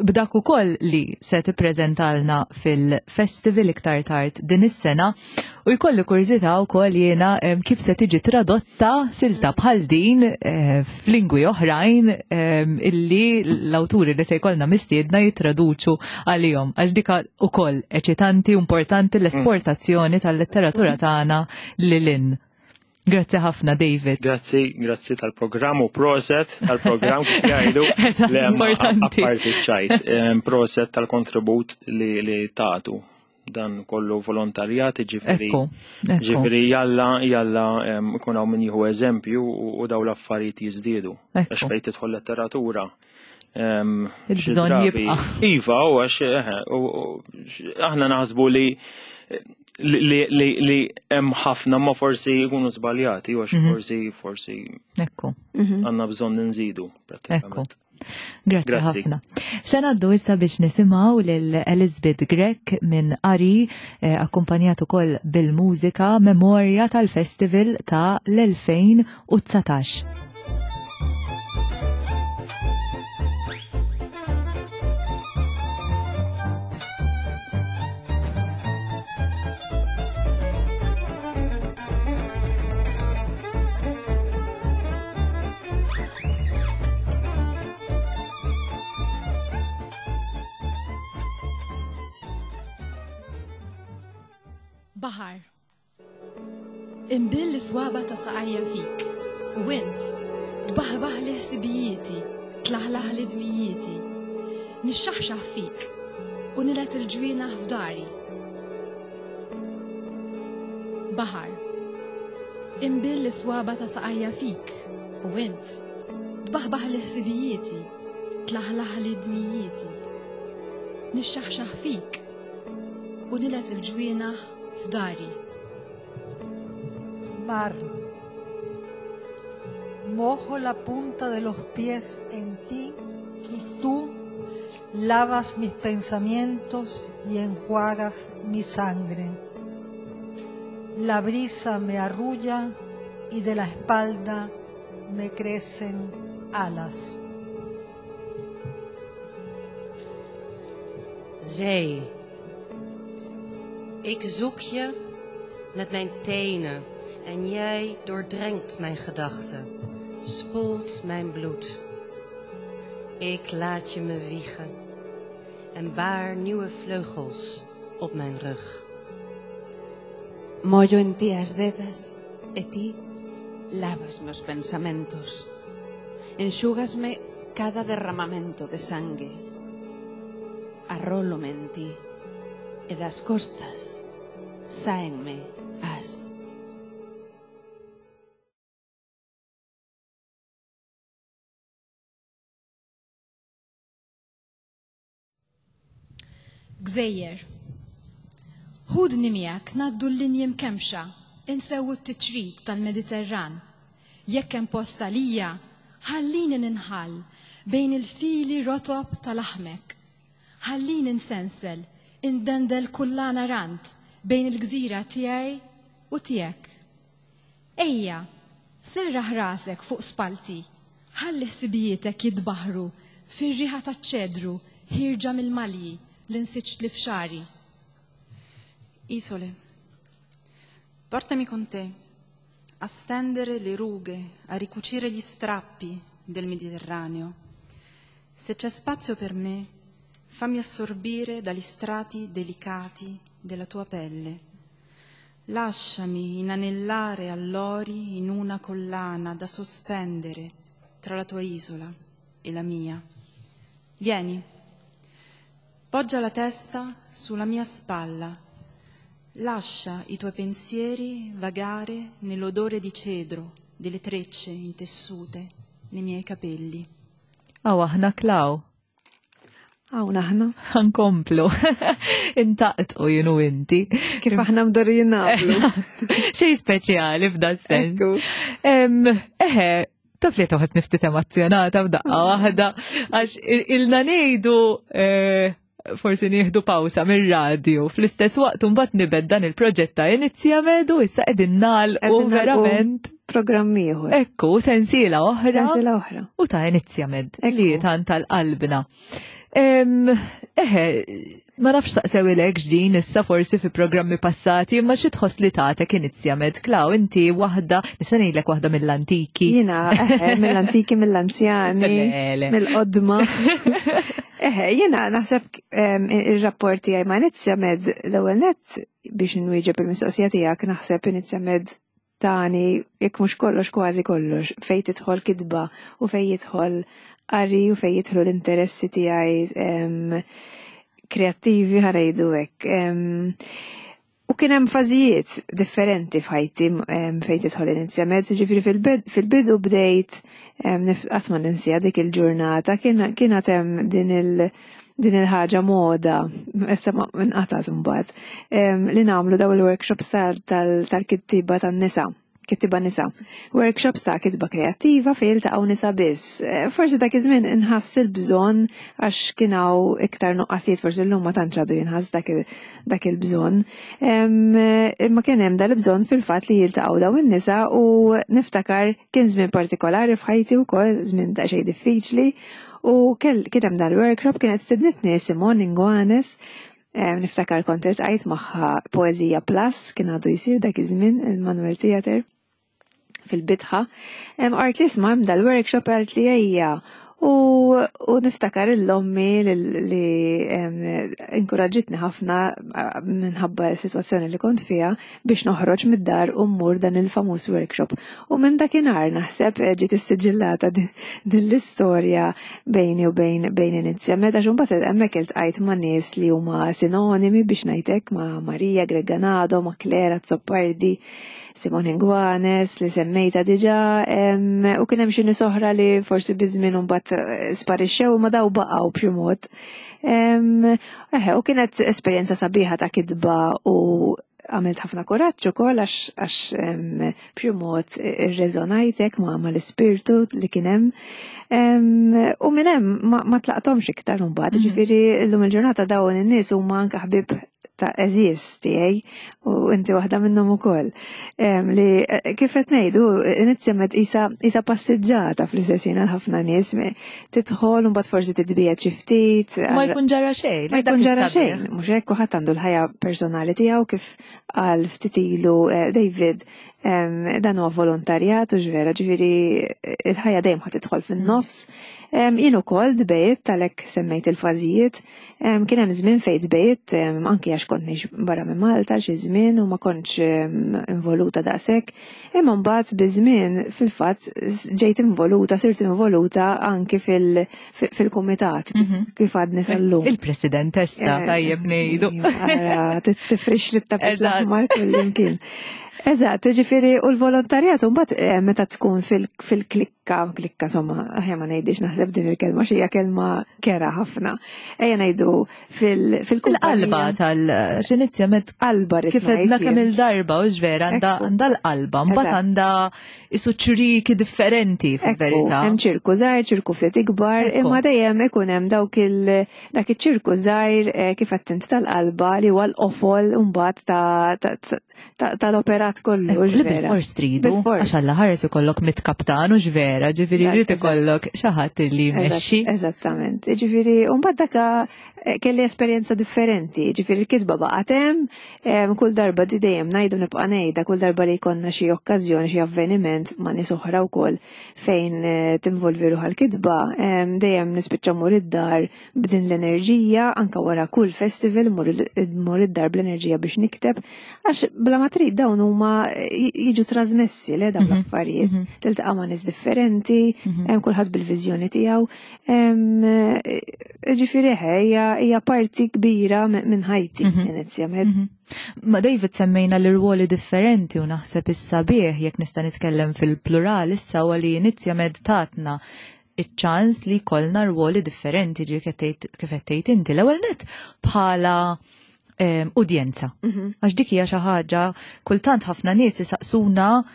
B'dak ukoll li se tippreżentalna fil-festival iktar tard din is-sena U jkolli kurżità wkoll jiena kif se tiġi tradotta silta bħal din eh, f'lingwi oħrajn illi l-awturi li se jkollna mistiedna jittraduċu għalihom. Għax dika ukoll eċitanti u importanti l-esportazzjoni tal-letteratura tagħna lil hinn. Grazzi ħafna, David.
Grazzi, grazzi tal-programm u proset tal-programm kif jgħidu.
Importanti.
Apparti ċajt, proset tal-kontribut li, li tagħtu dan kollu volontarjat, ġifiri. Ġifiri jalla, jalla ikun hawn min jieħu eżempju u daw l-affarijiet jiżdiedu. Għax fejn tidħol letteratura.
Il-bżonn jibqa'.
Iva, u għax aħna naħsbu li li li hemm ħafna ma forsi jkunu żbaljati u għax mhm. forsi forsi
Ekku.
Mhm. għandna bżonn nżidu
prattikament. Grazzi ħafna. Se ngħaddu issa biex nisimgħu lil Elizabeth Grech minn Ari eh, akkumpanjat ukoll bil-mużika Memorja tal-Festival ta' l-2019.
Baħar. Imbill l-iswaba ta' saqajja fik, u int tbaħbaħ li ħsibijieti, tlaħlaħ li dmijieti. Nixxaħxaħ fik u nilet il-ġwienaħ f'dari. Baħar. Imbill l-iswaba ta' saqajja fik, u int tbaħbaħ li ħsibijieti, tlaħlaħ li dmijieti. Nixxaħxaħ fik u nilet il-ġwienaħ f'dari.
Mar. Mojo la punta de los pies en ti y tú lavas mis pensamientos y enjuagas mi sangre. La brisa me arrulla y de la espalda me crecen alas.
Zee. Ik zoek je met mijn tenen en jij doordrenkt mijn gedachten, spoelt mijn bloed. Ik laat je me wiegen en baar nieuwe vleugels op mijn rug.
Mollo en ti as dedas e ti lávasme os pensamentos. Enxúgasme cada derramamento de sangue. Arrólome en ti e das costas sáenme as. Gżejjer. Ħudni miegħek ngħaddu l-linji mkemmxa, insewwu t-tiċrit tal-Mediterran. Jekk hemm post għalija, ħallini ninħall bejn il-fili rotob ta' laħmek. Ħallini nsensel, indendel kullana rand bejn il-gżira tiegħi u tiegħek. Ejja, serraħ rasek fuq spallti, ħalli ħsibijietek jitbaħħru fir-riħa taċ-ċedru ħierġa mill-malji li nsiġtli f'xagħri.
Isole, portami con te a stendere le rughe, a ricucire gli strappi del Mediterraneo. Se c'è spazio per me, fammi assorbire dagli strati delicati della tua pelle. Lasciami inanellare allori in una collana da sospendere tra la tua isola e la mia. Vieni, poggia la testa sulla mia spalla. Lascia i tuoi pensieri vagare nell'odore di cedro delle trecce intessute nei miei capelli.
Aw aħna Klaw.
Hawn aħna.
Nkomplu. Intaqtqu jien u inti.
Kif aħna mdorrijin nagħmlu.
Xejn speċjali f'da sens. Eħe, taf li toħos niftit emozjonata f'daqqa waħda, għax ilna ngħidu eh, forsi nieħdu pawsa mir-radju. Fl-istess waqt imbagħad nibed dan il-proġett ta' Inizja Medu issa qegħdin nagħlqu verament
programm ieħor.
Ekku, sensiela oħra.
Sensiela oħra.
U ta' Inizja Med li tant tal-qalbna. Eħe, ma nafx saqsew ilek ġdin issa forsi fi programmi passati, imma xi tħoss li tagħtek Inizja Med Klaw, inti waħda, nista' ngħidlek waħda mill-antiki.
Jiena, eħe, mill-antiki, mill-anzjani, mill-qodma. Eħe, jiena naħseb ir-rapport tiegħi ma' Inizja Med l-ewwel nett biex nwieġeb il-mistoqsija tiegħek naħseb Inizja Med tani jekk mhux kollox kważi kollox fejn tidħol kitba u fejn jidħol qari u fejn jidħlu l-interessi tiegħi kreattivi ħarejdu hekk. U kien hemm fażijiet differenti f'ħajti fejn tidħol Inizja Med, ġifieri fil-bidu bdejt qatt ma ninsija dik il-ġurnata, kien għad hemm din il- din il-ħaġa moda, issa ma nqatat imbagħad, li nagħmlu daw il-workshops tal-kittiba tan-nisa kittiba nisa. Workshops ta' kitba kreattiva fejn jiltaqgħu nisa biss. Eh, forsi dak iż-żmien inħass il-bżonn għax kien hawn iktar nuqqasijiet forsi llum ma tantx għadu jinħass dak il-bżonn. Imma kien hemm dal-bżonn fil-fatt li jiltaqgħu dawn in-nisa u niftakar kien żmien partikolari f'ħajti wkoll, żmien daqsxejn diffiċli, u kien hemm dal-workshop kienet stednitni Simon Inguanes Niftakar kont iltqajt magħha Poeżija Plus kien għadu jsir dak iż-żmien il-Manuel Theatre fil-bitħa. Qalt li isma' hemm dal-workshop qalt li ejja U, u niftakar l-ommi li inkoraġġitni ħafna minħabba s-sitwazzjoni li kont fiha biex noħroġ mid-dar u mmur dan il-famuż workshop. U minn dakinhar naħseb eh, ġiet issiġillata din l-istorja bejni u bejn bejn Inizja Meta xumbat hemmhekk iltqajt ma' nies li huma sinonimi biex ngħidlek ma' Marija Greganado, ma' Klera Zoppardi, Simon Inguanes li semmejta diġà, u kien hemm xi nies oħra li forsi biż-żmien imbagħad eh, sparixxew ma daw baqgħu b'xi mod. Eħe, u kienet esperjenza sabiħa ta' kitba u għamilt ħafna kuraġġ ukoll għax għax b'xi mod irreżonajtek ma' mal-ispirtu li kien hemm. U minn hemm ma tlaqthomx iktar imbagħad, mhm. ġifieri llum il-ġurnata dawn in-nies huma anke ħbieb ta' għeżież tiegħi u inti waħda minnhom ukoll. Li eh, kif qed ngħidu inizjament isa isa passiġġata fl-istess ħin għal ħafna nies tidħol u mbagħad forsi titbiegħed xi ftit.
Ma jkun ġara xejn.
Ma jkun ġara xejn, mhux hekk kulħadd għandu l-ħajja personali tiegħu kif qal ftit ilu eh, David dan huwa volontarjat u ġvera, ġifieri il-ħajja dejjem ħa tidħol fin-nofs. Jien ukoll dbejt talek semmejt il-fażijiet, kien hemm żmien fejn dbejt anki għax kont ngħix barra minn Malta xi żmien u ma kontx involuta daqshekk, imma mbagħad biż-żmien fil-fatt ġejt involuta, sirt involuta anki fil-kumitat mhm. kif għadni sal-lum.
Il-presidentessa eh, tajjeb ngħidu.
Tifrix li tapit l-aħmar kullimkien. Eżatt, ġifieri u l-volontarjat mbagħad eh, meta tkun fil-klikka, klikka somma, aħja ma ngħidix naħseb din il-kelma xi hija kelma kera ħafna. Ejja ngħidu
fil-qalba tal-xinizja met
qalba
kif edna kemm il-darba u ġvera għandha l-qalba, mbagħad għandha isu ċriki differenti fil-verità.
Hemm ċirku żgħir, ċirku ftit ikbar, imma dejjem ikun hemm dawk il dak iċ-ċirku żgħir eh, kif qed tal-qalba li huwa l-qofol mbagħad ta' tal-operat kollu.
Li bil-fors tridu, għax alla ħares ikollok mit kaptan u ġvera, ġifiri rrid ikollok xi ħadd li jmexxi.
Eżattament. Ġifiri, u mbagħad daka eh, kelli esperjenza differenti, ġifiri l-kitba baqgħet hemm, kull darba di dejjem ngħidu nibqa' ngħidha, kull darba li jkollna xi okkażjoni, xi avveniment ma' nies oħra wkoll fejn eh, tinvolvi ruħha l-kitba, dejjem nispiċċa mur id-dar b'din l-enerġija anka wara kull festival mur id-dar bl-enerġija biex nikteb għax bla ma trid dawn huma jiġu trasmessi le dawn mhm. l-affarijiet. Mhm. Tiltaqa' ma' nies differenti, mhm. hemm kulħadd bil-viżjoni tiegħu. Ġifieri hija parti kbira minn ħajti inizjament.
Ma David semmejna l-irwoli differenti u naħseb issa bih jekk nista' nitkellem fil-plural issa u li inizjament tatna iċ-ċans li jkollna rwoli differenti ġi kif qed tgħid inti. L-ewwel net bħala udjenza. Mhm. Għax dik hija xi ħaġa kultant ħafna nies isaqsuna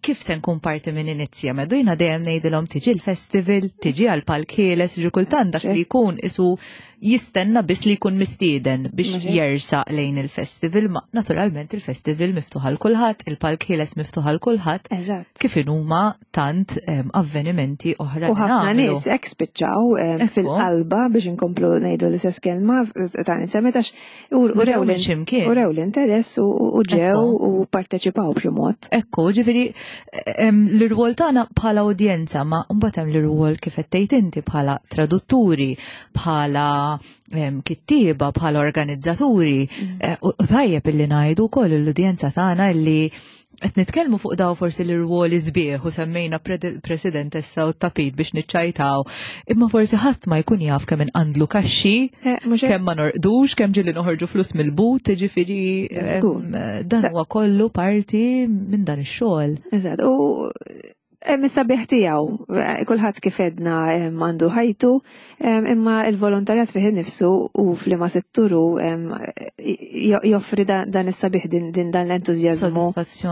kif se nkun parti minn inizja medu jiena dejjem ngħidilhom tiġi l-festival, tiġi għal palk ħieles, ġi kultant dak li jkun isu jistenna biss li jkun mistieden biex jersaq lejn il-festival, ma naturalment il-festival miftuħ għal kulħadd, il-palk ħieles miftuħ għal kulħadd. Kif huma tant avvenimenti oħra.
U ħafna nies hekk spiċċaw fil-qalba biex inkomplu ngħidu l-istess kelma ta' nisemet għax urew l-interess u ġew u parteċipaw b'xi mod.
Ekku, ġifieri l-irwol tagħna bħala udjenza ma mbagħad hemm l-irwol kif qed tgħid inti bħala tradutturi, bħala kittieba, bħala organizzaturi. Mm. Eh, u tajjeb illi ngħidu wkoll l-udjenza tagħna illi Qed nitkellmu fuq daw forsi l-irwoli sbieħ u semmejna presidentessa u tapit biex niċċajtaw, imma forsi ħadd ma jkun jaf kemm inqandlu kaxxi, eh, kemm ma norqdux, kemm ġieli noħorġu flus mill-but, ġifieri dan huwa kollu parti minn dan ix-xogħol.
Eżatt, u Hemm is-sabiħ tiegħu, eh, kulħadd kif edna għandu ħajtu, imma il-volontarjat fih innifsu u f'liema setturu joffri dan is-sabiħ din dan l-entużjażmu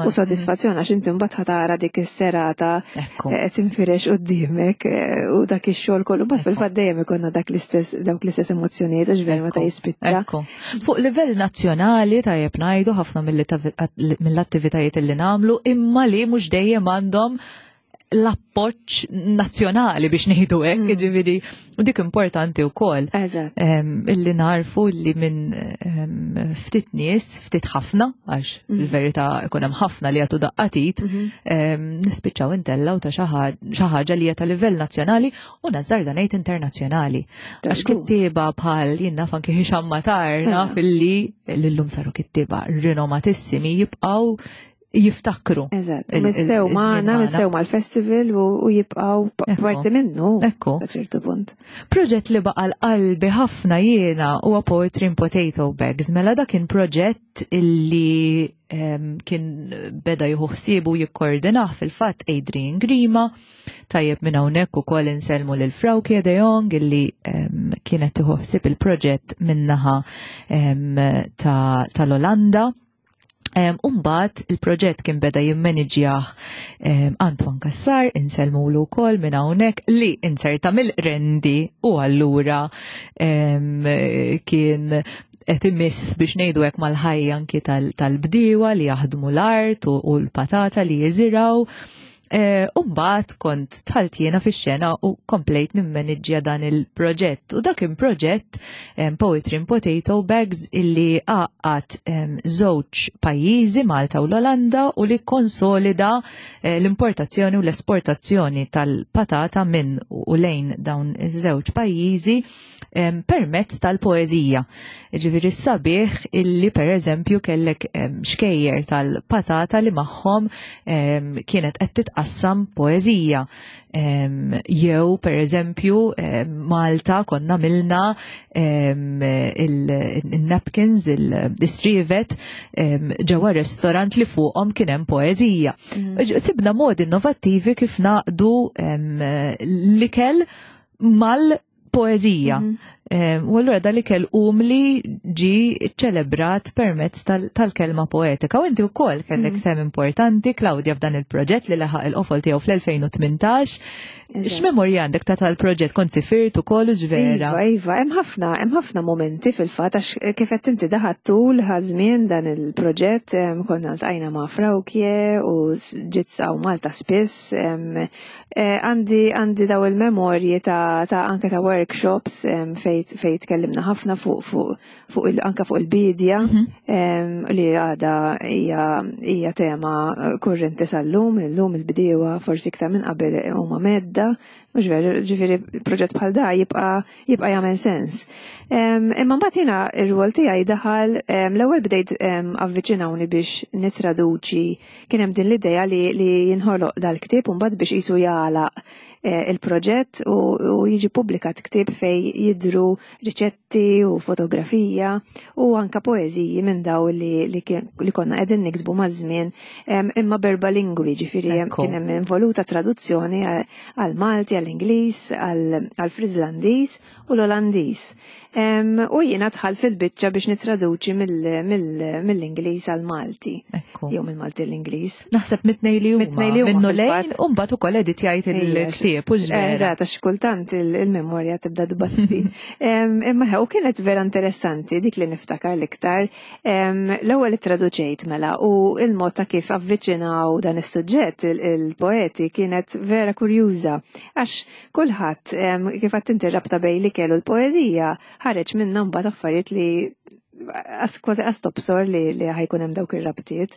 u sodisfazzjon għax inti mbagħad ħatara dik is-serata eh, tinfirex quddiemek eh, u dak ix-xogħol kollu mbagħad fil-fatt dejjem ikollna dak l-istess dawk l-istess emozzjonijiet għax vera meta jispiċċa.
Fuq livell nazzjonali tajjeb ngħidu ħafna mill-attivitajiet li nagħmlu imma li mhux dejjem għandhom l-appoġġ nazzjonali biex ngħidu hekk, mm. jiġifieri u dik importanti wkoll. Illi narfu li minn ftit nies, ftit ħafna, għax mm. il-verità ikun hemm ħafna li jagħtu daqqatit, mm-hmm. nispiċċaw intellaw ta' xi ħaġa li hija ta' livell nazzjonali u nażżarda ngħid internazzjonali. Għax kittieba bħal jien naf anki Hisham Matar naf illi l-lum saru kittieba rinomatissimi jibqgħu jiftakru.
Eżatt, missew maħna, missew mal-festival u jibqaw parti minnu.
Ekku.
ċertu punt.
Proġett li baqa l-qalbi ħafna jiena huwa Poetry in Potato Bags. Mela dak kien proġett illi kien beda jieħu ħsiebu jikkordinah fil-fatt Adrian Grima. Tajjeb minn hawnhekk ukoll insellmu lil Frauke de Jong illi kienet tieħu ħsieb il-proġett min-naħa tal-Olanda. Umbat il-proġett kien beda jimmaniġjah Antoine Kassar, insellmulu wkoll minn hawnhekk li inserta mill-rendi u allura kien qed imiss biex ngħidu hekk mal-ħajja anki tal-bdiewa li jaħdmu l-art u l-patata li jiżiraw. Eh, u mbagħad kont tħalt jiena fix-xena u komplejt nimmaniġġja dan il-proġett. U dak kien proġett Poetry in Potato Bags illi għaqqad żewġ pajjiżi Malta u l-Olanda u li konsolida eh, l-importazzjoni u l-esportazzjoni tal-patata minn u lejn dawn iż-żewġ pajjiżi permezz tal-poeżija. Ġifieri sabiħ illi pereżempju kellek xkejjer tal-patata li magħhom kienet qed titqassam poeżija. Jew pereżempju Malta konna milna il-napkins, il-strivet ġewwa restorant li fuqhom kien hemm poeżija. Mm. Sibna modi innovattivi kif naqdu l-ikel mal-poeżija. Mm. U allura dal-ikel umli ġi ċelebrat permezz tal-kelma poetika. U inti wkoll kellek mm. sem importanti, Claudia, f'dan il-proġett li laħaq il-qofol tiegħu fl-2018. X'memorja għandek ta' tal-proġett kont sifirt ukoll u ġvera?
Iva, iva, hemm ħafna, hemm ħafna momenti fil-fatt għax kif qed inti daħat tul ħażmien dan il-proġett konna ltqajna ma' Frawkje u ġiet hawn Malta spiss Eh, għandi għandi daw il-memorji ta', ta anke ta' workshops fejn fej tkellimna ħafna fuq fuq fuq il, anke fuq il-bidja mm -hmm. li għada hija hija tema eh, kurrenti sal-lum, illum il-bdiewa forsi iktar minn qabel huma medda, mhux veru, ġifieri proġett bħal da jibqa' jibqa' jagħmel sens. Imma mbagħad jiena r-rwol tiegħi daħal l-ewwel bdejt avviċinawni biex nitraduċi Kien hemm din l-idea li, li jinħoloq dal-ktieb u mbagħad biex qisu jagħlaq eh, il-proġett u, u jiġi publikat ktieb fej jidru riċetti u fotografija u anka poeżiji minn daw li, li, li konna qegħdin niktbu maż-żmien imma berba lingwi ġifieri kien hemm involuta traduzzjoni għal Malti, għall-Ingliż, għall-Friżlandiż u l-Olandiż. U jiena dħalt fil-biċċa biex nitraduċi mill-Ingliż għal-Malti. Jew mill-Malti l-Ingliż.
Naħseb mitnej li huma. Minnu lejn u mbagħad ukoll editjajt il-ktieb u ġvera.
Eżatt, għax kultant il-memorja tibda tbatti. Imma u kienet vera interessanti dik li niftakar l-iktar. L-ewwel ittraduċejt mela u il-mod ta' kif avviċinaw dan is-suġġett il-poeti kienet vera kurjuża għax Kulħadd, kif għadt inti rabta bejn l-ikel u l-poeżija, ħareġ minnha mbagħad affarijiet li kważi qas tobsor li, li ħajkun hemm dawk ir-rabtiet.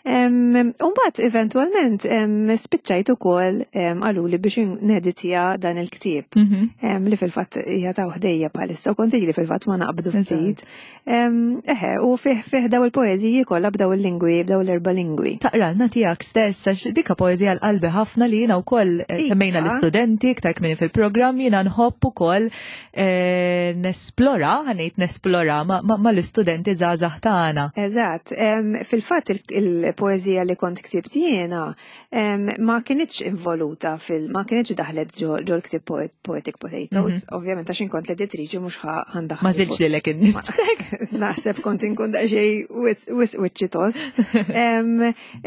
Umbagħad eventwalment spiċċajt ukoll qaluli biex neditja dan il-ktieb mhm. li fil-fatt hija ta' ħdejja bħalissa u kont li fil-fatt ma naqbdu ftit. Eħe, u fih fih daw il-poeżiji kollha b'daw il-lingwi, b'daw l-erba' lingwi.
Taqralna tiegħek stess għax dika poeżija l-qalbi ħafna li jiena wkoll eh, semmejna l-istudenti iktar kmieni fil-programm jiena nħobb ukoll eh, nesplora, ħanejt nesplora mal-istudenti żgħażagħ tagħna.
Eżatt, fil-fatt il-poeżija li kont ktibt jiena ma kinitx involuta fil ma kinitx daħlet ġo l-ktieb Poetic Potatoes, mhm. ovvjament għax inkont l-editriċi mhux ħandaħ.
Ma żilx lilek innifsek.
Naħseb kont inkun daqsxejn wis wiċċi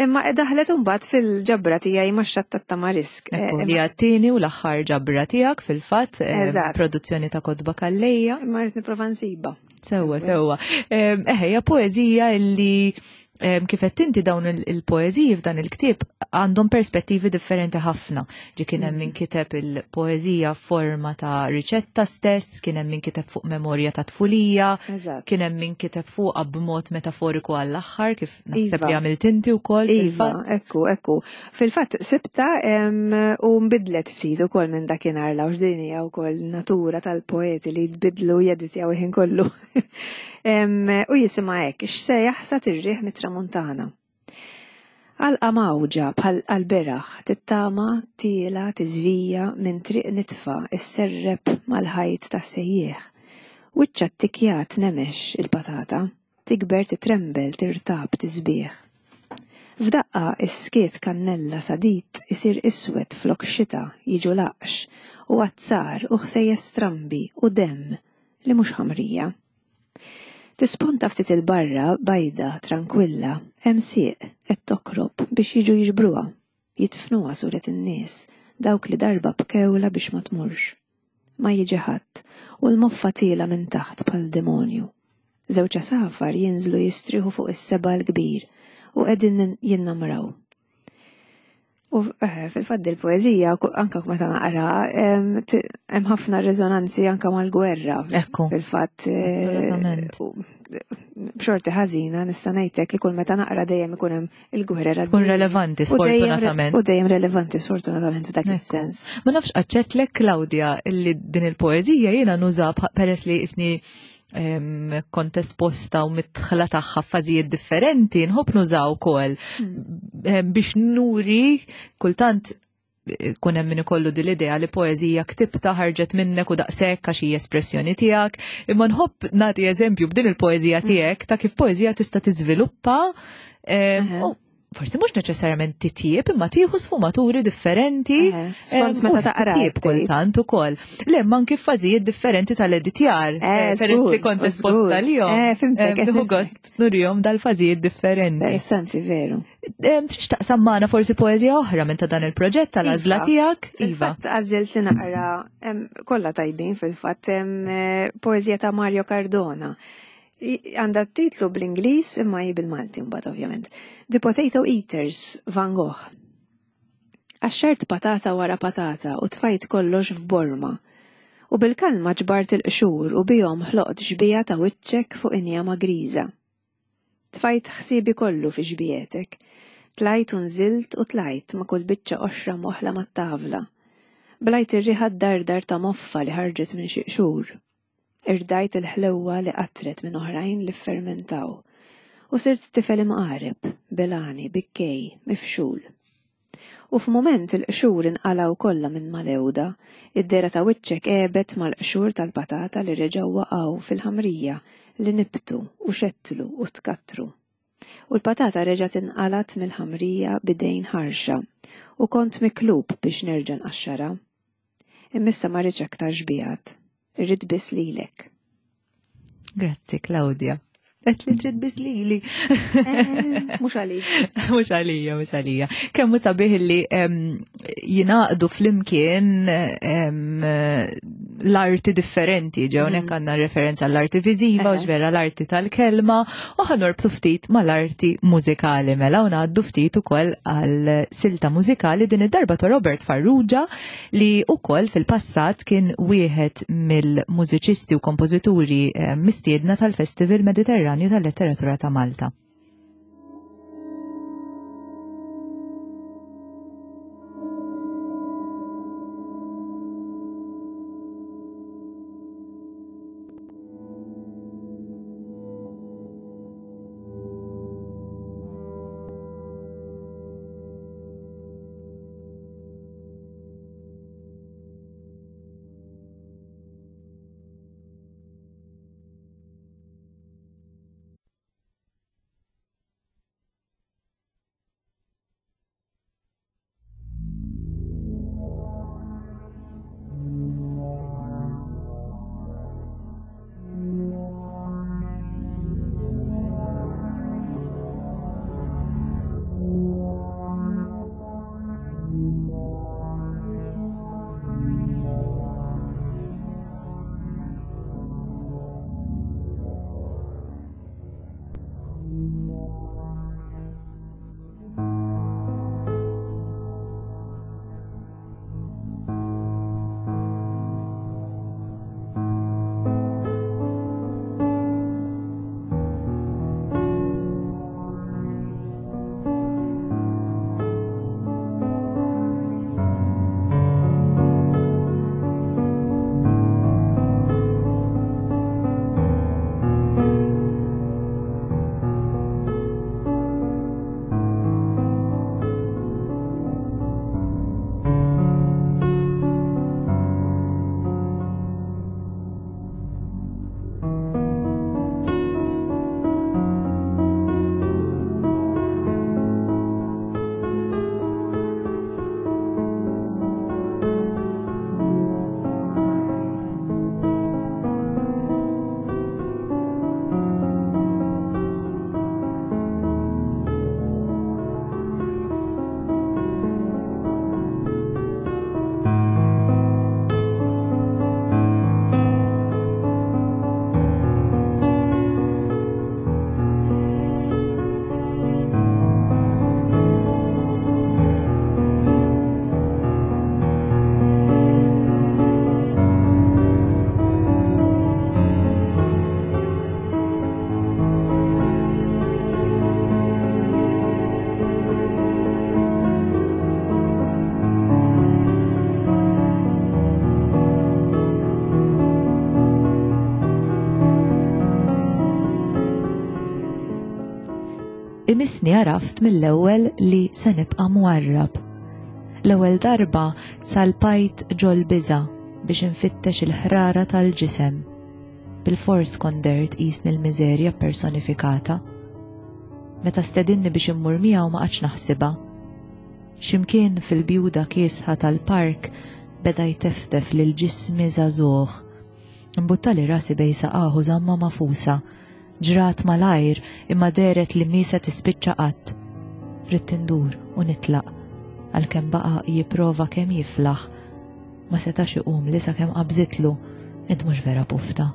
Imma daħlet imbagħad fil-ġabra tiegħi ma' xatt tat-tamarisk.
Eh, li għattini u l-aħħar ġabra tiegħek fil-fatt produzzjoni ta' kotba kallejja.
Imma rrid nipprova nsiba.
Sewwa, sewwa. Eħe, poeżija illi kif qed inti dawn il-poeżiji f'dan il-ktieb għandhom perspettivi differenti ħafna. Ġi kien hemm min mm. kiteb il-poeżija forma ta' riċetta stess, kien hemm min kiteb fuq memorja ta' tfulija, kien hemm min kiteb fuqha b'mod metaforiku għall-aħħar kif naħseb li iva. għamilt inti wkoll.
Iva, ekku, ekku. Fil-fatt sibta u nbidlet ftit ukoll minn dakinhar l din hija wkoll natura tal-poeti li jbidlu jeditjaw ħin kollu. U jisimha hekk, x'se jaħsad ir-riħ mit-tramuntana. Għalqa mgħawġa bħal għall-beraħ tittama tiela tiżvija minn triq nitfa isserrep mal-ħajt tas-sejjieħ. Wiċċha ttikkjat nemex il-patata, tikber titrembel tirtab tisbieħ. F'daqqa is-skiet kannella sadid isir iswed flok xita jiġu laqx u azzar u ħsejjes strambi u demm li mhux ħamrija. Tisponta ftit 'il barra, bajda, trankwilla, hemm sieq qed tokrob biex jiġu jiġbruha, jidfnuha suret in-nies, dawk li darba bkewlha biex ma tmurx. Ma jiġi ħadd, u l-moffa tiela' minn taħt bħal demonju. Żewġ għasafar jinżlu jistrieħu fuq is-seba' l-kbir u qegħdin jinnamraw. U eh, fil-fatt il-poeżija anka meta naqra hemm ħafna reżonanzi anka mal-gwerra.
Ekku.
Fil-fatt eh, b'xorti ħażina nista' ngħidlek li kull meta naqra dejjem ikun hemm il-gwerra.
Tkun relevanti sfortunatament.
U dejjem relevanti sfortunatament f'dak is-sens.
Ma nafx aċċettlek Claudia li din il-poeżija jiena nuża peress li isni kont esposta u mitħla tagħha f'fażijiet differenti, nħobb nużaw ukoll hmm. biex nuri kultant eh, kun hemm min ikollu din l-idea li poeżija ktibta ħarġet minnek u daqshekk għax hija espressjoni tiegħek, imma nħobb nagħti eżempju b'din il-poeżija hmm. tiegħek ta' kif poeżija tista' tiżviluppa u forsi mhux neċessarjament titjieb imma tieħu sfumaturi differenti.
Skont meta taqra.
Titjieb kultant ukoll. Le ma anki f'fażijiet differenti tal-editjar. Eh, eh, peress li kont esposta lihom.
Eh, fimtek.
Tieħu gost nurihom dal-fażijiet differenti.
Interessanti veru.
Trix taqsam magħna forsi poeżija oħra minn ta' dan il-proġett tal-għażla
iva.
tiegħek?
Iva. Għażilt li naqra kollha tajbin fil-fatt poeżija ta' Mario Cardona. Għandha titlu bl-Ingliż imma hi bil-Malti mbagħad ovvjament. The Potato Eaters, Van Gogh. Qaxxart patata wara patata u tfajt kollox f'borma. U bil-kalma ġbart il-qxur u bihom ħloqt xbieha ta' wiċċek fuq injama griża. Tfajt ħsiebi kollu fi xbiehetek. Tlajt u nżilt u tlajt ma' kull biċċa qoxra mwaħħla mat-tavla. Blajt ir-riħa ddardar ta' moffa li ħarġet minn xi qxur. Irdajt il-ħlewwa li qatret minn oħrajn li ffermentaw. U sirt tifel imqareb, belgħani, bikkej, mifxul. U f'mument il-qxur inqalgħu kollha minn mal-għewda, id-dehra ta' wiċċek għebet mal-qxur tal-patata li reġgħu waqgħu fil-ħamrija li nibtu u xettlu u tkattru. U l-patata reġgħet inqalgħet mill-ħamrija b'idejn ħarxa u kont miklub biex nerġa' nqaxxarha. Imma issa ma rridx aktar xbiehat. Irrid biss lilek.
Grazzi, Claudia. Qed li trid biss lili.
Eh, mhux għalija.
Mhux għalija, mhux għalija. Kemm hu sabiħ li jingħaqdu flimkien l-arti differenti, ġew mm. għandna referenza għall-arti viżiva, u ġvera l-arti tal-kelma, u ħanorbtu ftit mal-arti mużikali mela u ngħaddu ftit ukoll għal silta mużikali din id-darba ta' Robert Farrugia li ukoll fil-passat kien wieħed mill-mużiċisti u kompożituri eh, mistiedna tal-Festival Mediterranju tal-Letteratura ta' Malta. Imissni għaraft mill-ewwel li se nibqa' mwarrab. L-ewwel darba salpajt ġol-biża' biex infittex il-ħrara tal-ġisem. Bilfors kont dehrt qisni l-miżerja ppersonifikata. Meta stedinni biex immur miegħu ma qgħadx naħsibha. X'imkien fil-bjuda kiesħa tal-park beda jteftef lil ġismi żagħżugħ. Imbuttali rasi bejn saqah u żammha magħfusa. Ġrat malajr imma dehret li mhi se tispiċċa qatt. Ridt indur u nitlaq, għalkemm baqa' jipprova kemm jiflaħ. Ma setax iqumli sakemm qabżitlu, Int mhux vera pufta.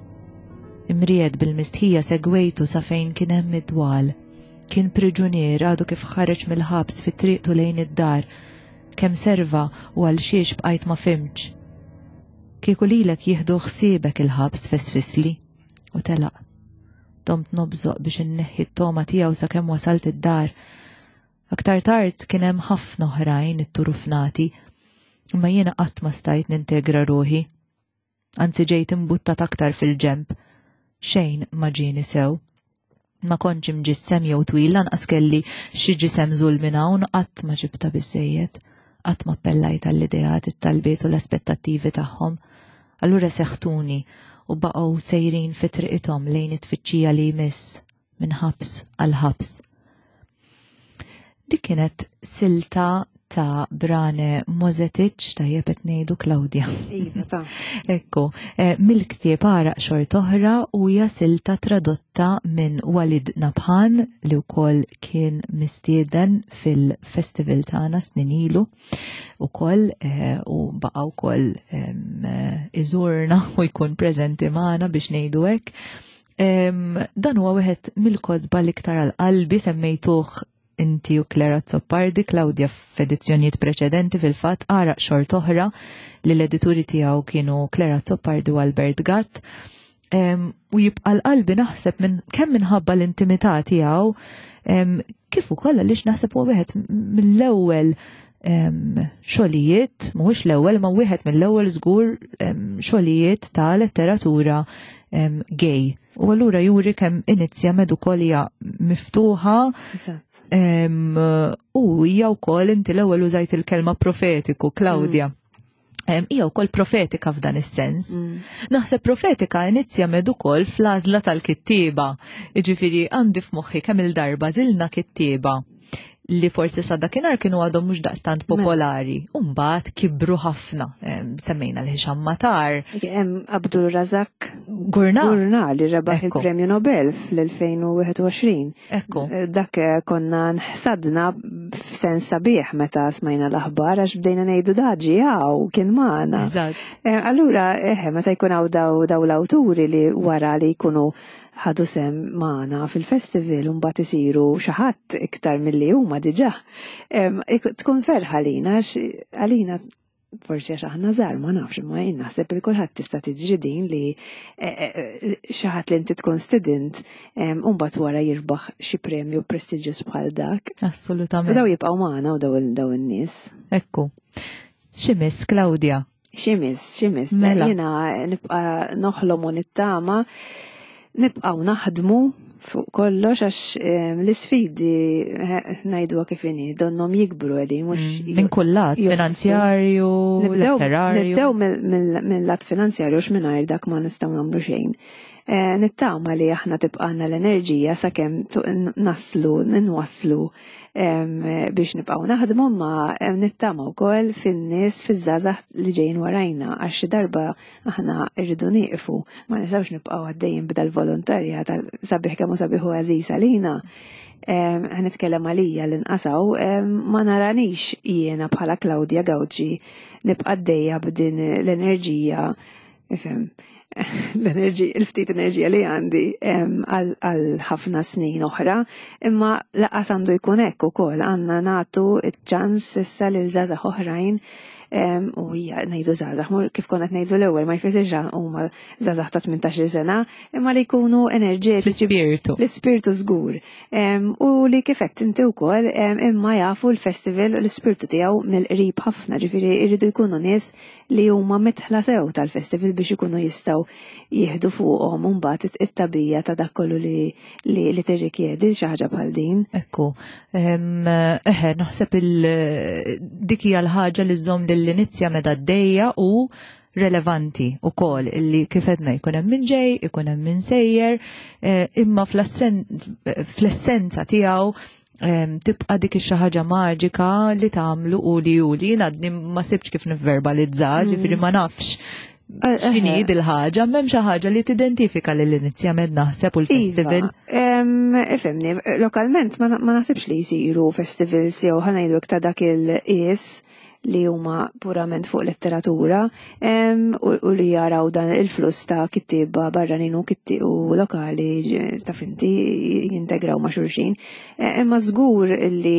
Imriegħed bil-mistħija segwejtu sa fejn kien hemm id-dwal. Kien priġunier għadu kif ħareġ mill-ħabs fi triqtu lejn id-dar. Kemm serva u għal xiex bqajt ma fhimtx. Kieku lilek jieħdu ħsiebek il-ħabs fesfisli. U telaq. Domt nobżoq biex inneħħi t-togħma tiegħu sakemm wasalt id-dar. Aktar tard kien hemm ħafna oħrajn itturufnati, imma jiena qatt ma stajt nintegra ruħi. Anzi ġejt imbuttat aktar fil-ġenb. Xejn ma ġieni sew. Ma kontx imġissem jew twil lanqas kelli xi ġisem żul minn hawn qatt ma ġibta biżejjed. Qatt ma appellajt għall-ideat, it-talbiet u l-aspettattivi tagħhom. Allura seħtuni u baqgħu sejrin fi triqithom lejn it-tfittxija li jmiss minn ħabs għal ħabs. Dik kienet silta ta' Brane Mozetic, tajjeb qed ngħidu Claudia.
Iva, ta'
Ekku, eh, mill-ktieb għaraq xort oħra u hija silta tradotta minn Walid Nabhan li wkoll kien mistieden fil-festival tagħna snin ilu ukoll eh, u baqa' wkoll eh, iżurna u jkun preżenti magħna biex ngħidu hekk. Dan huwa wieħed mill-kotba l-iktar għal qalbi semmejtuh inti u Clara Azzopardi, Claudia f'edizzjonijiet preċedenti fil-fatt għaraq xort oħra li l-edituri tiegħu kienu Clara Azzopardi u Albert Gatt. U jibqa' l-qalbi naħseb minn kemm minħabba l-intimità tiegħu kif ukoll għaliex naħseb huwa wieħed mill-ewwel xogħlijiet, mhuwiex l-ewwel ma wieħed mill-ewwel żgur xogħlijiet ta' letteratura gay. U allura juri kemm inizja med ukoll hija miftuħa. U hija wkoll inti l-ewwel użajt il-kelma profetiku, Claudia. Mm. Hija wkoll profetika f'dan is-sens. Mm. Naħseb profetika inizja med ukoll fl-għażla tal-kittieba. Jiġifieri għandi f'moħħi kemm il-darba żilna kittieba li forsi sa dakinhar kienu għadhom mhux daqstant mela. popolari. Umbagħad kibru ħafna. Semmejna l-Hisham Matar.
Hemm Abdul Razak
Gurna.
Gurna li rebaħ il-Premju Nobel fl-2021.
Ekku.
Eh, dak eh, konna nħsadna f'sens sabiħ meta smajna l-aħbar għax bdejna ngħidu daġi għaw kien magħna. Eh, allura, eħe, meta jkun hawn daw l-awturi li wara li jkunu ħadu sehem magħna fil-festival u mbagħad isiru xi ħadd iktar milli huma diġà. Tkun ferħa għalina għalina forsi għax aħna żgħar ma nafx imma jien naħseb li kulħadd tista' tiġri din li e, e, e, xi ħadd li inti tkun student u mbagħad wara jirbaħ xi premju prestiġjuż bħal dak.
Assolutament.
U daw jibqgħu magħna u daw in-nies.
Ekku. Xi miss Claudia?
Ximis, ximis. Mela. Jena nibqa noħlom u nittama, nibqaw naħdmu fuq kollox għax ehm, l-isfidi eh, ngħiduha kif inhi donhom jikbru qegħdin mhux
mm, minn kull lat finanzjarju, letterarju.
Nibdew mill-lat finanzjarju x'mingħajr dak ma nistgħu nagħmlu xejn. Eh, nittama li aħna tibqana l-enerġija sakemm naslu, nwasslu biex nibqgħu naħdmu ma nittama wkoll fin-nies fiż-żgħażagħ li ġejjin warajna għax xi darba aħna rridu nieqfu ma nistgħux nibqgħu għaddejjin b'dal volontarja tal sabiħ kemm hu sabiħ u għażiż għalina. Ħanitkellem għalija li nqasaw ma naranix jiena bħala Claudia Gauci nibqa' għaddejja b'din l-enerġija ifhem l-enerġija, il-ftit enerġija li għandi għal ħafna snin oħra, imma laqas għandu jkun hekk ukoll għandna nagħtu ċ-ċans issa lil żgħażagħ oħrajn. U hija ngħidu żgħażagħ, kif konna qed ngħidu l-ewwel ma jfissirx huma żgħażagħ ta' 18-il sena, imma li jkunu enerġetiċi.
L-ispirtu.
L-ispirtu żgur. U li kif qed inti wkoll imma jafu l-festival u l-ispirtu tiegħu mill-qrib ħafna, ġifieri jridu jkunu nies li huma mitħla sew tal-festival biex ikunu jistgħu jieħdu fuqhom imbagħad it-tabija ta' dak kollu li li tirrikjedi xi ħaġa bħal din.
Ekku, eħe, naħseb dik hija l-ħaġa li żżomm lill-inizja meta għaddejja u relevanti u kol illi kif edna jkun hemm min ġej, ikun hemm min sejjer, eh, imma fl-essenza tiegħu tibqa dik ix ħaġa maġika li tagħmlu u li u li għadni ma sibx kif nivverbalizza, ġifieri ma nafx eh, eh, x'inhi eh. dil-ħaġa, m'hemm xi ħaġa li tidentifika lil inizjament naħseb u l-festival.
Iva, ifhimni, lokalment ma naħsibx li jsiru festivals jew ħanajdu ta' dak il-qies li huma purament fuq letteratura u li jaraw dan il-fluss ta' kittieba barranin u kitti u lokali ta' finti jintegraw ma' xulxin. E, imma żgur li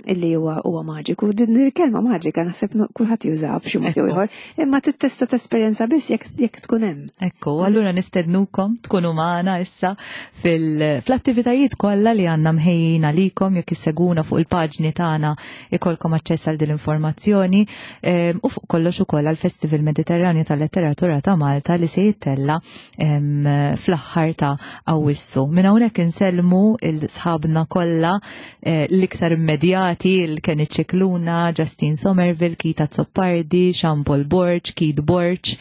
li huwa huwa maġiku. Din il-kelma maġika naħseb kulħadd jużha b'xi mod jew ieħor, imma tittesta tesperjenza biss jekk tkun hemm.
Ekku, allura nistednukom tkunu magħna issa fl-attivitajiet kollha li għandna mħejjin għalikom jekk isseguna fuq il-paġni tagħna ikolkom aċċess għal din l-informazzjoni ehm, u fuq kollox ukoll għal Festival Mediterranju tal-Letteratura ta' Malta li se jittella ehm, fl-aħħar ta' Awwissu. Minn hawnhekk insellmu il-sħabna kollha eh, l-iktar immedjati il-Kenny Cicluna, Justin Somerville, Kita Zoppardi, Jean Paul Borg, Keith Borg,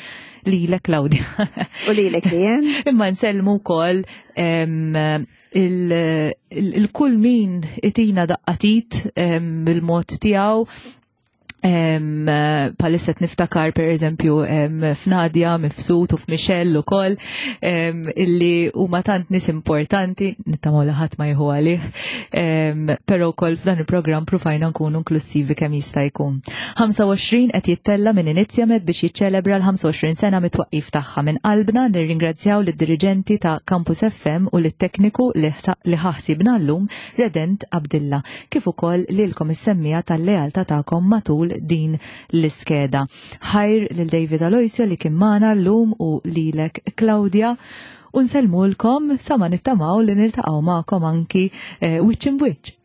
lilek Claudia.
U lilek li
Imma nsellmu wkoll ehm, il-kull min itina daqqatit bil-mod tiegħu palissa niftakar per eżempju f'Nadja, Mifsud u f'Michelle ukoll illi huma tant nies importanti, nittamaw li ħadd ma jieħu għalih, però wkoll f'dan il-programm pruvajna nkunu inklusivi kemm jista' jkun. 25 qed jittella minn Inizjamed biex jiċċelebra l-25 sena mit-twaqqif tagħha. Minn qalbna nirringrazzjaw lid-diriġenti ta' Campus FM u lit-tekniku li ħa ħsiebna llum Redent Abdilla, kif ukoll lilkom is-semmiegħa tal-lealtà tagħkom matul din l-iskeda. Ħajr lil David Aloisio li kien magħna llum u lilek Claudia u nsellmulkom sa ma nittamaw li niltaqgħu magħkom anki eh, wiċċ imbwiċċ.